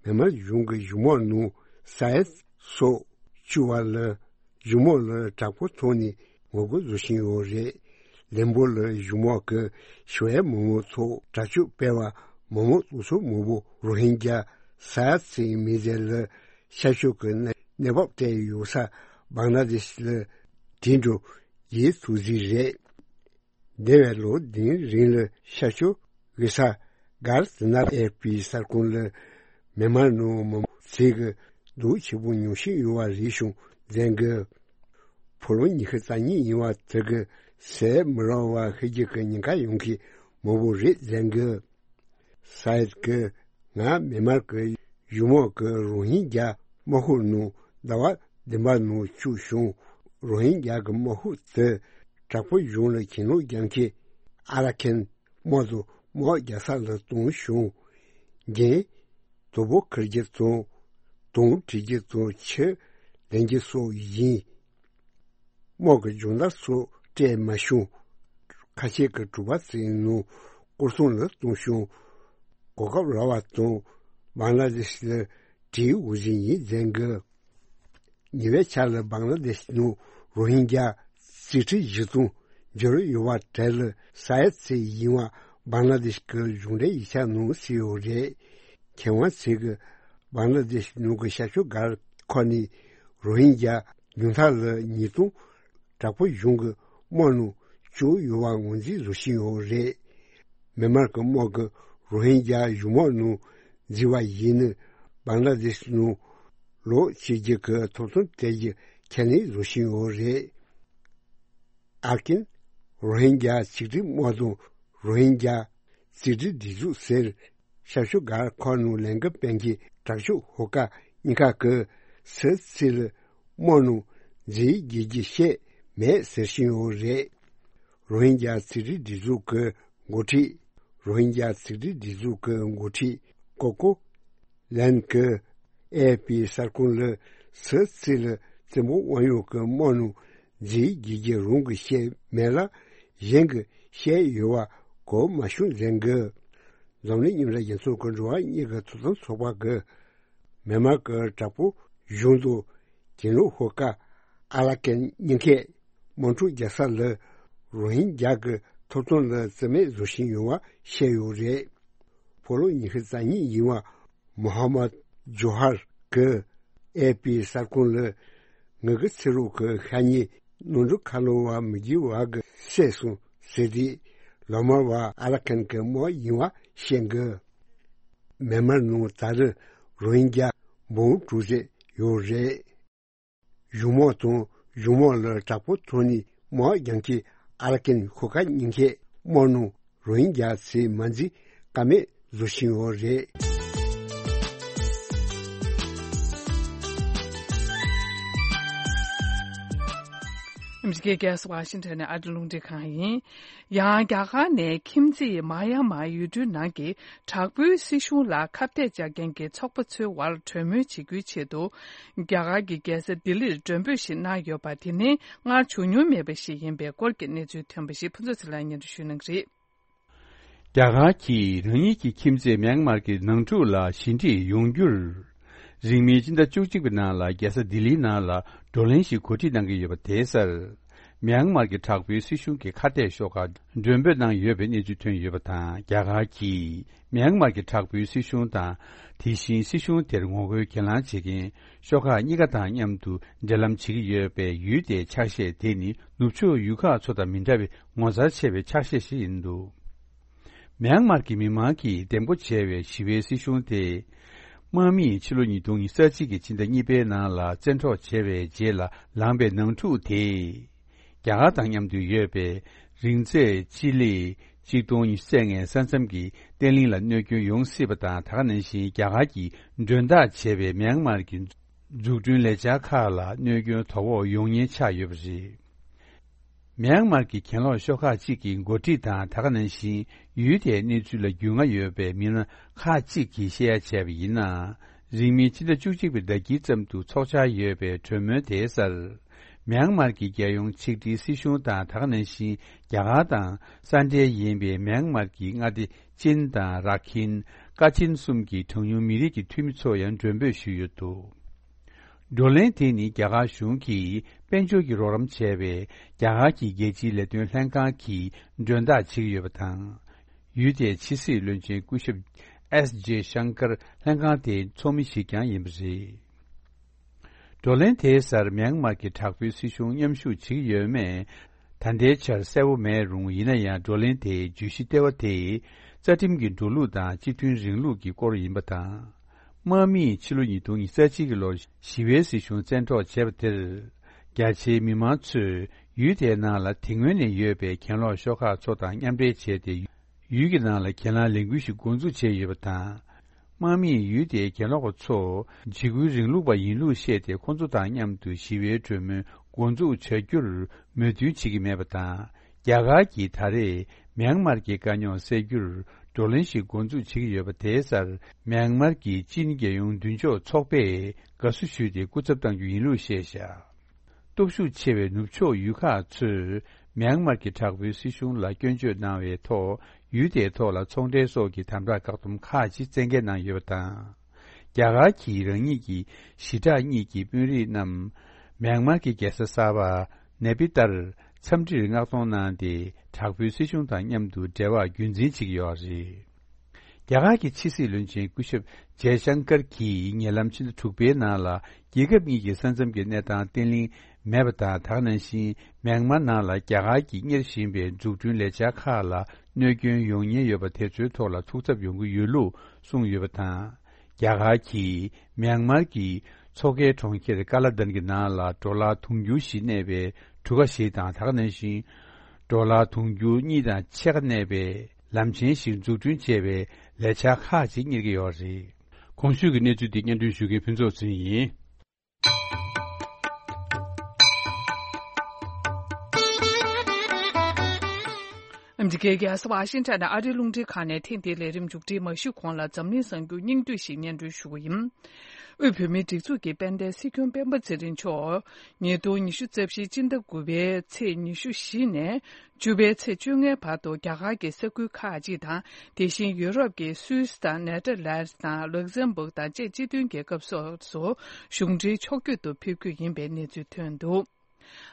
མེན་མར་གཞུང་གི་གཞུང་དམག་ནང་ས་ཡད་སོགས་བཅུག་པ་ལ། གཞུང་དམག་ལ་དྲག་པོ་ཐོག་ནས་ངོ་རྒོལ་བཟོ་བཞིན་ཡོད་རེད། ལན་པོ་ལ་གཞུང་དམག་གིས་ཞི་བའི་མི་མང་ཚོར་དྲག་སྤྱོད་སྤེལ་བ། མི་མང་སོ་སོ་མང་པོ་རོ་ཧིན་རྒྱ་ས་ཡ་ཚིག་མི་ཟེར་ལ་ཤར་ཕྱོགས་ཀྱི་གནས་བབ་སྤྲད་ཡོད་ས་བང་ལ་དེ་ཤི་ལ་དེ་འགྲོ་ཡིད་ཐུག་ཟིག་རེད། འདས་པའི་ལོ་བདུན་རིང་ལ་ཤར་ཕྱོགས་གེ་སར་གྷར་ཛི་ན་ཨེ་པི་གསར་ཁང་ལ་མེན་མར་ནང་མི་མང་ཚིག་གི་སྡུག་ཆེ་པོ་མྱོང་བཞིན་ཡོད་པ་རེད་བྱུང་མཛད་འགོ། ཕོ་ལོ་ཉི་ཤུ་རྩ་གཉིས་ཡིན་པ་དེ་གི་ཟས་མི་རག་པ་ཤི་རྒྱུ་གི་ཉེན་ཁ་ཡོང་གི་མང་པོ་རེད་མཛད་འགོ། ས་ཡད་ཀྱིས་ང་མེན་མར་གྱི་གཞུང་དམག་གི་རོ་ཧིན་རྒྱ་དམག་ཤོག་ནང་ཟླ་བ་བདུན་པ་ནང་བཅུག་བྱུང་། རོ་ཧིན་རྒྱ་གི་དམག་ཤོག་དེ་དྲག་པོ་གཞུང་ལ་གྱེན་ལོག་རྒྱག་མཁན་ཨ་ར་ཁན་དམག་དང་དམག་རྒྱག་ས་ལ་བཏང་བྱུང་། རྒྱན། དོ་པོ་འཁུར་རྒྱུ་དང་། དུང་བྲི་རྒྱུ་དང་ཆུ་ལེན་རྒྱུ་སོགས་ཡིན། དམག་གི་སྦྱོང་བརྡར་སོགས་སྤྲད་མ་བྱུང་། ཁ་ཆེ་གི་གྲུ་པ་ཚོའི་ནང་སྐོར་སྲུང་ལ་བཏང་བྱུང་། གོ་སྐབས་རག་པ་དང་བང་ལ་དེ་ཤི་ལ་བྲིས་འོས་ཟིན་ཡིན་མཛད་འགོ། ཉེ་བའི་ཆར་ལ་བང་ལ་དེ་ཤི་ནང་རོ་ཧིན་རྒྱ་རྩིས་ཁྲི་བཞི་སྟོང་འབྱོར་ཡོད་པ་དེ་ལ་ས་ཡ་ཚིག་ཡིན་པ་བང་ལ་དེ་ཤི་གི་གཞུང་འབྲེལ་ཡིག་ཆ་ནང་གསལ་ཡོད་རེད། མཁས་དབང་ཚོས་ཀྱིས་བང་ལ་དེ་ཤི་ནང་གི་ཤར་ཕྱོགས་སྒར་ཁག་ནས་རོ་ཧིན་རྒྱ་ཉུང་མཐའ་ལ་ཉིས་སྟོང་དྲག་པོ་གཞུང་གི་དམག་ནང་བཅུག་ཡོད་པ་ངོས་འཛིན་བཟོ་བཞིན་ཡོད་རེད། མེན་མར་གྱི་དམག་གིས་རོ་ཧིན་རྒྱ་གཞུང་དམག་ནང་འཛུལ་བ་ཡིན་ན་བང་ལ་དེ་ཤི་ནང་ལོག་བྱེད་རྒྱུ་གི་ཐོབ་ཐང་སྤྲད་རྒྱུ་ཁས་ལེན་བཟོ་བཞིན་ཡོད་རེད། ཨར་ཀིན། རོ་ཧིན་རྒྱ་ཆིག་སྒྲིལ་དམག་དང་རོ་ཧིན་རྒྱ་རྩིས་སྒྲིལ་སྒྲིག་འཛུགས་ཟེར་ཤར་ཕྱོགས་སྒར་ཁག་ནང་ལས་འགུལ་སྤེལ་མཁན་དྲག་ཤོས་ཧོ་ཀ་གཉིས་ཀ་གིས་ས་ཡ་ཚིག་ལ་དམག་ནང་འཛུལ་རྒྱུ་བཤད་མེད་ཟེར་བཞིན་ཡོད་རེད། རོ་ཧིན་རྒྱ་རྩིས་སྒྲིལ་སྒྲིག་འཛུགས་ཀྱི་འགོ་ཁྲིད། རོ་ཧིན་རྒྱ་རྩིས་སྒྲིལ་སྒྲིག་འཛུགས་ཀྱི་འགོ་ཁྲིད་ཀོ་ཀོ་ལན་གྱིས་ཨེ་ཨེ་པི་གསར་ཁང་ལ་ས་ཡ་ཚིག་ལ་བཙན་པོ་དབང་ཡོད་ཀྱི་དམག་ནང་འཛུལ་རྒྱུ་རྒྱུ་རང་གིས་བཤད་མེད་ལ། གཞན་གྱིས་བཤད་ཡོད་པ་གོ་མ་བྱུང་མཛད་འགོ། འཛམ་གླིང་མཉམ་འབྲེལ་རྒྱལ་ཚོགས་ཀྱི་འགྲོ་བ་མིའི་ཐོབ་ཐང་ཚོགས་པ་གིས་མེན་མར་གྱི་དྲག་པོ་གཞུང་དང་གྱེན་ལོག་ཤོག་ཁག་ཨ་ར་ཀན་གཉིས་ཀས་དམག་འཁྲུག་རྒྱག་ས་ལ་རོ་ཧིན་རྒྱ་གི་ཐོབ་ཐང་ལ་བརྩི་མེད་བཟོ་བཞིན་ཡོད་པ་བཤད་ཡོད་རེད། ཕོ་ལོ་ཉི་ཤུ་རྩ་གཉིས་ཡིན་པ་མོ་ཧ་མད་ཇོ་ཧར་གྱིས་ཨེ་ཨེ་པི་གསར་ཁང་ལ་ངེད་ཀྱི་ཚེ་རོགས་ཀྱི་ཤ་ཉེ་ནོར་འཁྲུལ་ཁ་ལོ་བ་མི་རྒྱུ་བ་གི་བསད་སོང་ཟེར་དུས་ལོ་མར་བ་ཨ་ར་ཁན་གྱི་དམག་ཡིན་པ་བཤད་འགོ། མེན་མར་ནང་ད་རེས་རོ་ཧིན་རྒྱ་འབུམ་དྲུག་ཙམ་ཡོད་རེད། གཞུང་དམག་དང་གཞུང་དམག་ལ་དྲག་པོ་ཐོག་ནས་དམག་རྒྱག་མཁན་ཨ་ར་ཀན་ཤོག་ཁག་གཉིས་ཀས་དམག་ནང་རོ་ཧིན་རྒྱ་ཚོས་མ་འཛུལ་ཀ་མེད་བཟོ་བཞིན་ཡོད་རེད། ཨ་མི་རི་ཀའི་རྒྱལ་ས་ཝ་ཤིང་ཊོན་ནས་ཨ་རི་རླུང་འཕྲིན་ཁང་ཡིན། ཡང་རྒྱ་གར་ནས་ཁྱིམ་མཚེས་མ་ཡ་མ་ཡུལ་གྲུའི་ནང་གི་དྲག་པོའི་སྲིད་གཞུང་ལ་ཁ་གཏད་བཅག་མཁན་གྱི་ཚོགས་པ་ཚོའི་དབར་གྲོས་མོལ་བྱེད་རྒྱུའི་ཆེད་དུ། རྒྱ་གར་གྱི་རྒྱལ་ས་ལྡི་ལིར་མགྲོན་འབོད་ཞིག་གནང་ཡོད་པ་དེ་ནི་སྔར་བྱུང་མྱོང་མེད་པ་ཞིག་ཡིན་པའི་སྐོར་གྱི་གནས་ཚུལ་ཐོན་པ་ཞིག་ཕུན་ཚོགས་ཚེ་ལགས་སྙན་སྒྲོན་ཞུ་གནང་གི་རེད། རྒྱ་གར་གྱིས་རང་ཉིད་ཀྱི་ཁྱིམ་མཚེས་མྱན་མར་གྱི་ནང་འཁྲུག་ལ་ཞི་འགྲིག་ཡོང་རྒྱུར། རིང་མིན་སྤྱི་ཟླ་བཅུ་གཅིག་པའི་ནང་ལ་རྒྱལ་ས་ལྡི་ལིའི་ནང་ལ་བགྲོ་གླེང་ཞིག་གོ་སྒྲིག་གནང་གི་ཡོད་པ་དེའི་སར། མྱན་མར་གྱི་དྲག་པོའི་སྲིད་གཞུང་གི་ཁ་གཏད་ཤོག་ཁག་མགྲོན་འབོད་གནང་ཡོད་པའི་གནས་ཚུལ་ཐོན་ཡོད་པ་དང་། རྒྱ་གར་གྱིས་མྱན་མར་གྱི་དྲག་པོའི་སྲིད་གཞུང་དང་། དེ་བཞིན་སྲིད་གཞུང་དེར་ངོ་རྒོལ་གྱེན་ལངས་བྱེད་མཁན་ཤོག་ཁག་གཉིས་ཀ་དང་མཉམ་དུ་འབྲེལ་ལམ་བྱེད་ཀྱི་ཡོད་པའི་ཡུལ་དེའི་ཕྱག་བཞེས་དེ་ནི། ནུབ་ཕྱོགས་ཡུལ་ཁག་ཚོ་དང་མི་འདྲ་བའི་ངོ་མཚར་ཆེ་བའི་ཕྱག་བཞེས་ཤིག་ཡིན་འདུག་མྱན་མར་གྱི་མི་མང་གིས་འདེམས་བསྐོ་བྱས་པའི་ཞི་བའི་སྲིད་གཞུང་དེ། དམག་མིས་ཕྱི་ལོ་ཉིས་སྟོང་ཉི་ཤུ་རྩ་གཅིག་གི་ཕྱི་ཟླ་གཉིས་པའི་ནང་ལ་བཙན་འཕྲོག་བྱས་པའི་རྗེས་ལ་ལངས་པའི་ནང་འཁྲུག་དེས། རྒྱ་གར་དང་མཉམ་དུ་ཡོད་པའི་རིང་ཚད་སྤྱི་ལེ་གཅིག་སྟོང་ཉི་ཤུ་རྩ་ལྔའི་ས་མཚམས་ཀྱི་བརྟན་ལྷིང་ལ་གནོད་སྐྱོན་ཡོང་སྲིད་པ་དང་། དེ་ག་ནང་བཞིན་རྒྱ་གར་གྱིས་མགྲོན་བདག་བྱས་པའི་མྱན་མར་གྱི་འཛུགས་སྐྲུན་ལས་འཆར་ཁག་ལ་གནོད་སྐྱོན་དོ་ཕོག་ཡོང་ཉེན་ཆགས་ཡོད་པ་རེད། མྱན་མར་གྱི་གྱེན་ལོག་ཤོག་ཁག་ཅིག་གི་འགོ་ཁྲིད་དང་། དེ་ག་ནང་བཞིན་ཡུལ་དེའི་གནས་ཚུལ་ལ་རྒྱུས་མངའ་ཡོད་པའི་མི་སྣ་ཁག་ཅིག་གིས་བཤད་ཡ་བྱས་པ་ཡིན་ན། རིང་མིན་ཕྱི་ཟླ་བཅུ་གཅིག་པའི་ཟླ་དཀྱིལ་ཙམ་དུ་འཚོགས་འཆར་ཡོད་པའི་གྲོས་མོལ་དེའི་སར། མྱན་མར་གྱི་རྒྱལ་ཡོངས་ཆིག་སྒྲིལ་སྲིད་གཞུང་དང་། དེ་ག་ནང་བཞིན་རྒྱ་གར་དང་ས་འབྲེལ་ཡིན་པའི་མྱན་མར་གྱི་མངའ་སྡེ་ཅིན་དང་ར་ཁིན། ཀ་ཆིན་གསུམ་གྱི་གྲངས་ཉུང་མི་རིགས་ཀྱི་འཐུས་མི་ཚོ་ཡང་མགྲོན་འབོད་ཞུས་ཡོད་འདུག་བགྲོ་གླེང་དེ་ནི་རྒྱ་གར་གཞུང་གིས་དཔལ་འབྱོར་གྱི་རོགས་རམ་བྱས་པའི་རྒྱ་གར་གྱི་རྒྱལ་སྤྱིའི་ལས་དོན་ལྷན་ཁང་གིས་མགྲོན་བདག་བྱེད་ཀྱི་ཡོད་པ་དང་། ཡུལ་དེའི་ཕྱི་སྲིད་བློན་ཆེན་སྐུ་ཞབས་ཨེས་ཇེ་ཤང་ཀར་ལྷན་ཁང་དེའི་ཚོགས་མི་ཞིག་ཀྱང་ཡིན་པ་རེད། བགྲོ་གླེང་དེའི་སར་མྱན་མར་གྱི་དྲག་པོའི་སྲིད་གཞུང་མཉམ་ཞུགས་བྱེད་ཀྱི་ཡོད་མེད་ད་ལྟའི་ཆར་གསལ་པོ་མེད་རུང་། ཡིན་ན་ཡང་བགྲོ་གླེང་དེའི་བརྗོད་གཞི་ལྟེ་བ་དེ་རྩ་ཁྲིམས་ཀྱི་འགྲོ་ལུགས་དང་སྤྱི་མཐུན་རིང་ལུགས་ཀྱི་སྐོར་ཡིན་པ་དང་། དམག་མིས་ཕྱི་ལོ་ཉིས་སྟོང་ཉི་ཤུ་རྩ་གཅིག་གི་ལོར་ཞི་བའི་སྲིད་གཞུང་བཙན་འཕྲོག་བྱས་པ་དེར། རྒྱ་ཆེའི་མི་མང་ཚོས་ཡུལ་དེའི་ནང་ལ་དེ་སྔོན་ནས་ཡོད་པའི་གྱེན་ལོག་ཤོག་ཁག་ཚོ་དང་མཉམ་འབྲེལ་བྱས་ཏེ། ཡུལ་གྱི་ནང་ལ་གྱེན་ལངས་ལས་འགུལ་ཞིག་འགོ་འཛུགས་བྱས་ཡོད་པ་དང་། དམག་མིས་ཡུལ་དེའི་གྱེན་ལོག་པ་ཚོ་འཇིགས་སྐུལ་རིང་ལུགས་པ་ཡིན་ལུགས་བཤད་དེ། ཁོང་ཚོ་དང་མཉམ་དུ་ཞི་བའི་གྲོས་མོལ་འགོ་འཛུགས་བྱ་རྒྱུར་མོས་མཐུན་བྱེད་ཀྱི་མེད་པ་དང་། རྒྱ་གར་གྱིས་ད་རེས་མྱན་མར་གྱི་དཀའ་རྙོག་སེལ་རྒྱུར་བགྲོ་གླེང་ཞིག་འགོ་འཛུགས་བྱེད་ཀྱི་ཡོད་པ་དེའི་སར། མྱན་མར་གྱི་ཅིན་རྒྱལ་ཡོངས་མདུན་ལྕོག་ཚོགས་པས་དགའ་བསུ་ཞུས་ཏེ་སྐུ་ཚབ་གཏང་རྒྱུ་ཡིན་ལུགས་བཤད་བཞག་སྟོབས་ཤུགས་ཆེ་བའི་ནུབ་ཕྱོགས་ཡུལ་ཁག་ཚོས་མྱན་མར་གྱི་དྲག་པོའི་སྲིད་གཞུང་ལ་སྐྱོན་བརྗོད་གནང་བའི་ཐོག་ཡུལ་དེའི་ཐོག་ལ་ཚོང་འབྲེལ་སོགས་ཀྱི་དམ་དྲག་བཀག་སྡོམ་ཁག་ཅིག་བཙན་འགེལ་གནང་ཡོད་པ་དང་། རྒྱ་གར་གྱིས་རང་ཉིད་ཀྱི་ཞི་དྲག་གཉིས་ཀྱི་དཔོན་རིགས་རྣམས་མྱན་མར་གྱི་རྒྱལ་ས་གསར་པ་ནེ་པི་ཏར་འཚམས་འདྲིར་མངགས་གཏོང་གནང་སྟེ། དྲག་པོའི་སྲིད་གཞུང་དང་མཉམ་དུ་འབྲེལ་བ་རྒྱུན་འཛིན་བྱེད་ཀྱི་ཡོད་རེད། རྒྱ་གར་གྱི་ཕྱི་སྲིད་བློན་ཆེན་སྐུ་ཞབས་ཇའི་ཤང་ཀར་གྱིས་ཉེ་ལམ་ཕྱི་ཟླ་དྲུག་པའི་ནང་ལ་རྒྱལ་ཁབ་གཉིས་ཀྱི་ས་མཚམས་ཀྱི་གནས་སྟངས་བརྟན་ལྷིང་མེད་པ་དང་། དེ་ག་ནང་བཞིན་མྱན་མར་ནང་ལ་རྒྱ་གར་གྱིས་གཉེར་བཞིན་པའི་འཛུགས་སྐྲུན་ལས་འཆར་ཁག་ལ་གནོད་སྐྱོན་ཡོང་ཉེན་ཡོད་པ་དེ་ཚོའི་ཐོག་ལ་ཐུགས་འཚབ་ཡོང་གི་ཡོད་ལུགས་གསུངས་ཡོད་པ་དང་། རྒྱ་གར་གྱིས་མྱན་མར་གྱི་མཚོ་ཁའི་གྲོང་ཁྱེར་ཀ་ལ་དན་གྱི་ནང་ལ་ཌོ་ལར་དུང་ཕྱུར་བཞི་གནས་པའི་གྲུ་ཁ་ཞིག་དང་། དེ་ག་ནང་བཞིན་ཌོ་ལར་དུང་ཕྱུར་གཉིས་དང་ཕྱེད་ཀ་གནས་པའི་ལམ་ཆེན་ཞིག་འཛུགས་སྐྲུན་བྱས་པའི་ལས་འཆར་ཁག་ཅིག་གཉེར་གྱི་ཡོད་རེད། གོང་ཞུས་ཀྱི་གནས་ཚུལ་འདི་སྙན་སྒྲོན་ཞུ་མཁན་ཕུན་ཚོགས་ཚེ་རིང་ཡིན། ཨ་མི་རི་ཀའི་རྒྱལ་ས་ཝ་ཤིང་ཊོན་ནས་ཨ་རིའི་རླུང་འཕྲིན་ཁང་ནས་ཐེངས་འདིའི་ལས་རིམ་མཇུག་སྒྲིལ་མ་ཞུས་གོང་ལ་འཛམ་གླིང་གསར་འགྱུར་སྙིང་བསྡུས་ཤིག་སྙན་སྒྲོན་ཞུ་གི་ཡིན། དབུས་བོད་མིའི་སྒྲིག་འཛུགས་ཀྱི་དཔལ་ལྡན་སྲིད་སྐྱོང་སྤེན་པ་ཚེ་རིང་མཆོག་ཉིས་སྟོང་ཉི་ཤུ་རྩ་བཞིའི་སྤྱི་ཟླ་དགུ་པའི་ཚེས་ཉི་ཤུ་བཞི་ནས་བཅུ་པའི་ཚེས་བཅོ་ལྔའི་བར་དུ་རྒྱ་གར་གྱི་ས་ཁུལ་ཁག་ཅིག་དང་། དེ་བཞིན་ཡུ་རོབ་ཀྱི་སུད་སི་དང་ནེ་ཐར་ལན་སི་དང་ལུག་སེམ་བུག་དང་བཅས་སྤྱི་མཐུན་རྒྱལ་ཁབ་སོགས་སུ་གཞུང་འབྲེལ་ཕྱོགས་བསྐྱོད་དུ་ཕེབས་རྒྱུ་ཡིན་པའི་གནས་ཚུལ་ཐོན་འདུག་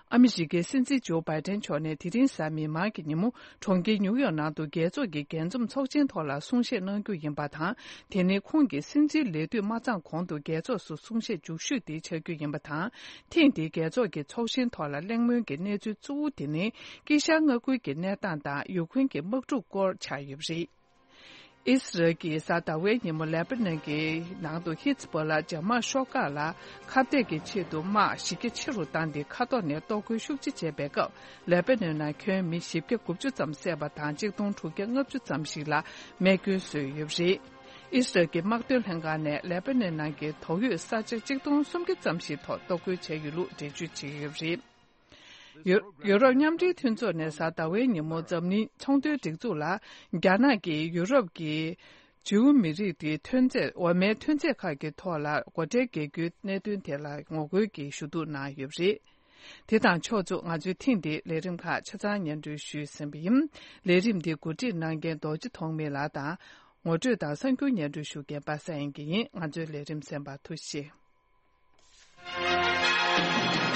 ཨ་མི་རི་ཀའི་སྲིད་འཛིན་ཇོ་བྷའི་ཏན་མཆོག་ནས་དེ་རིང་གཟའ་མིག་དམར་གྱི་ཉིན་མོ་གྲོང་ཁྱེར་ཉུའུ་ཡོག་ནང་དུ་རྒྱལ་ཚོགས་ཀྱི་རྒྱས་འཛོམས་ཚོགས་ཆེན་ཐོག་ལ་གསུང་བཤད་གནང་རྒྱུ་ཡིན་པ་དང་། དེ་ནི་ཁོང་གི་སྲིད་འཛིན་ལས་དུས་མ་ཚང་གོང་དུ་རྒྱལ་ཚོགས་སུ་གསུང་བཤད་མཇུག་ཤོས་དེ་ཆགས་རྒྱུ་ཡིན་པ་དང་། ཐེངས་འདིའི་རྒྱལ་ཚོགས་ཀྱི་ཚོགས་ཆེན་ཐོག་ལ་གླེང་མོལ་གྱི་གནས་ཚུལ་གཙོ་བོ་དེ་ནི་དཀྱིལ་ཤར་མངའ་ཁུལ་གྱི་གནས་སྟངས་དང་ཡུཀ་རེན་གྱི་དམག་འཁྲུག་སྐོར་ཆགས་ཡོད་པ་རེད། ཨི་སི་རལ་གྱིས་གཟའ་ཟླ་བའི་ཉིན་མོ་ལེ་པ་ནན་གྱི་ནང་དུ་ཧི་ཛ་བྷོ་ལ་འཇབ་དམག་ཤོག་ཁག་ལ་ཁ་གཏད་ཀྱི་ཆེད་དུ་དམག་གཞི་རྒྱ་ཆེ་རུ་བཏང་སྟེ། མཁའ་ཐོག་ནས་གཏོར་རྒོལ་ཤུགས་ཆེ་བྱས་པའི་སྐབས། ལེ་པ་ནན་ནང་ཁྱོན་མི་བཞི་བརྒྱ་དགུ་བཅུ་ཙམ་བསད་པ་དང་། གཅིག་སྟོང་དྲུག་བརྒྱ་ལྔ་བཅུ་ཙམ་ཞིག་ལ་རྨས་སྐྱོན་བཟོས་ཡོད་པ་རེད། ཨི་སི་རལ་གྱི་དམག་དོན་ལྷན་ཁང་ནས་ལེ་པ་ནན་ནང་གི་དོགས་ཡོད་ས་ཆ་གཅིག་སྟོང་སུམ་བརྒྱ་ཙམ་ཞིག་ཐོག་གཏོར་རྒོལ་བྱས་ཡོད་ལུགས་འགྲེལ་བརྗོད་བྱས་ཡོད་པ་རེད། ཡུ་ཡུ་རོབ་མཉམ་འབྲེལ་མཐུན་ཚོགས་ནས་གཟའ་ཟླ་བའི་ཉིན་མོ་འཛམ་གླིང་ཚོང་དོན་སྒྲིག་འཛུགས་ལ། རྒྱ་ནག་གིས་ཡུ་རོབ་ཀྱི་ཇིའུ་མི་རིགས་དེའི་ཐོན་རྫས། འོ་མའི་ཐོན་རྫས་ཁག་གི་ཐོག་ལ་སྒོ་ཁྲལ་འགེལ་རྒྱུའི་གནད་དོན་དེ་ལ་ངོ་རྒོལ་གྱི་ཞུ་གཏུག་གནང་ཡོད་པ་རེད། དེ་དང་ཕྱོགས་མཚུངས། ང་ཚོའི་ཐེངས་འདིའི་ལས་རིམ་ཁག་ཆ་ཚང་སྙན་སྒྲོན་ཞུས་ཟིན་པ་ཡིན། ལས་རིམ་འདི་གོ་སྒྲིག་གནང་མཁན་རྡོ་རྗེ་ཐོགས་མེད་ལགས་དང་། ངོ་སྤྲོད་དང་གསར་འགྱུར་སྙན་སྒྲོན་ཞུ་མཁན་པ་སངས་དབྱངས་སྐྱིད་ཡིན། ང་ཚོའི་ལས་རིམ་གསན་པར་ཐུགས་རྗེ་ཆེ།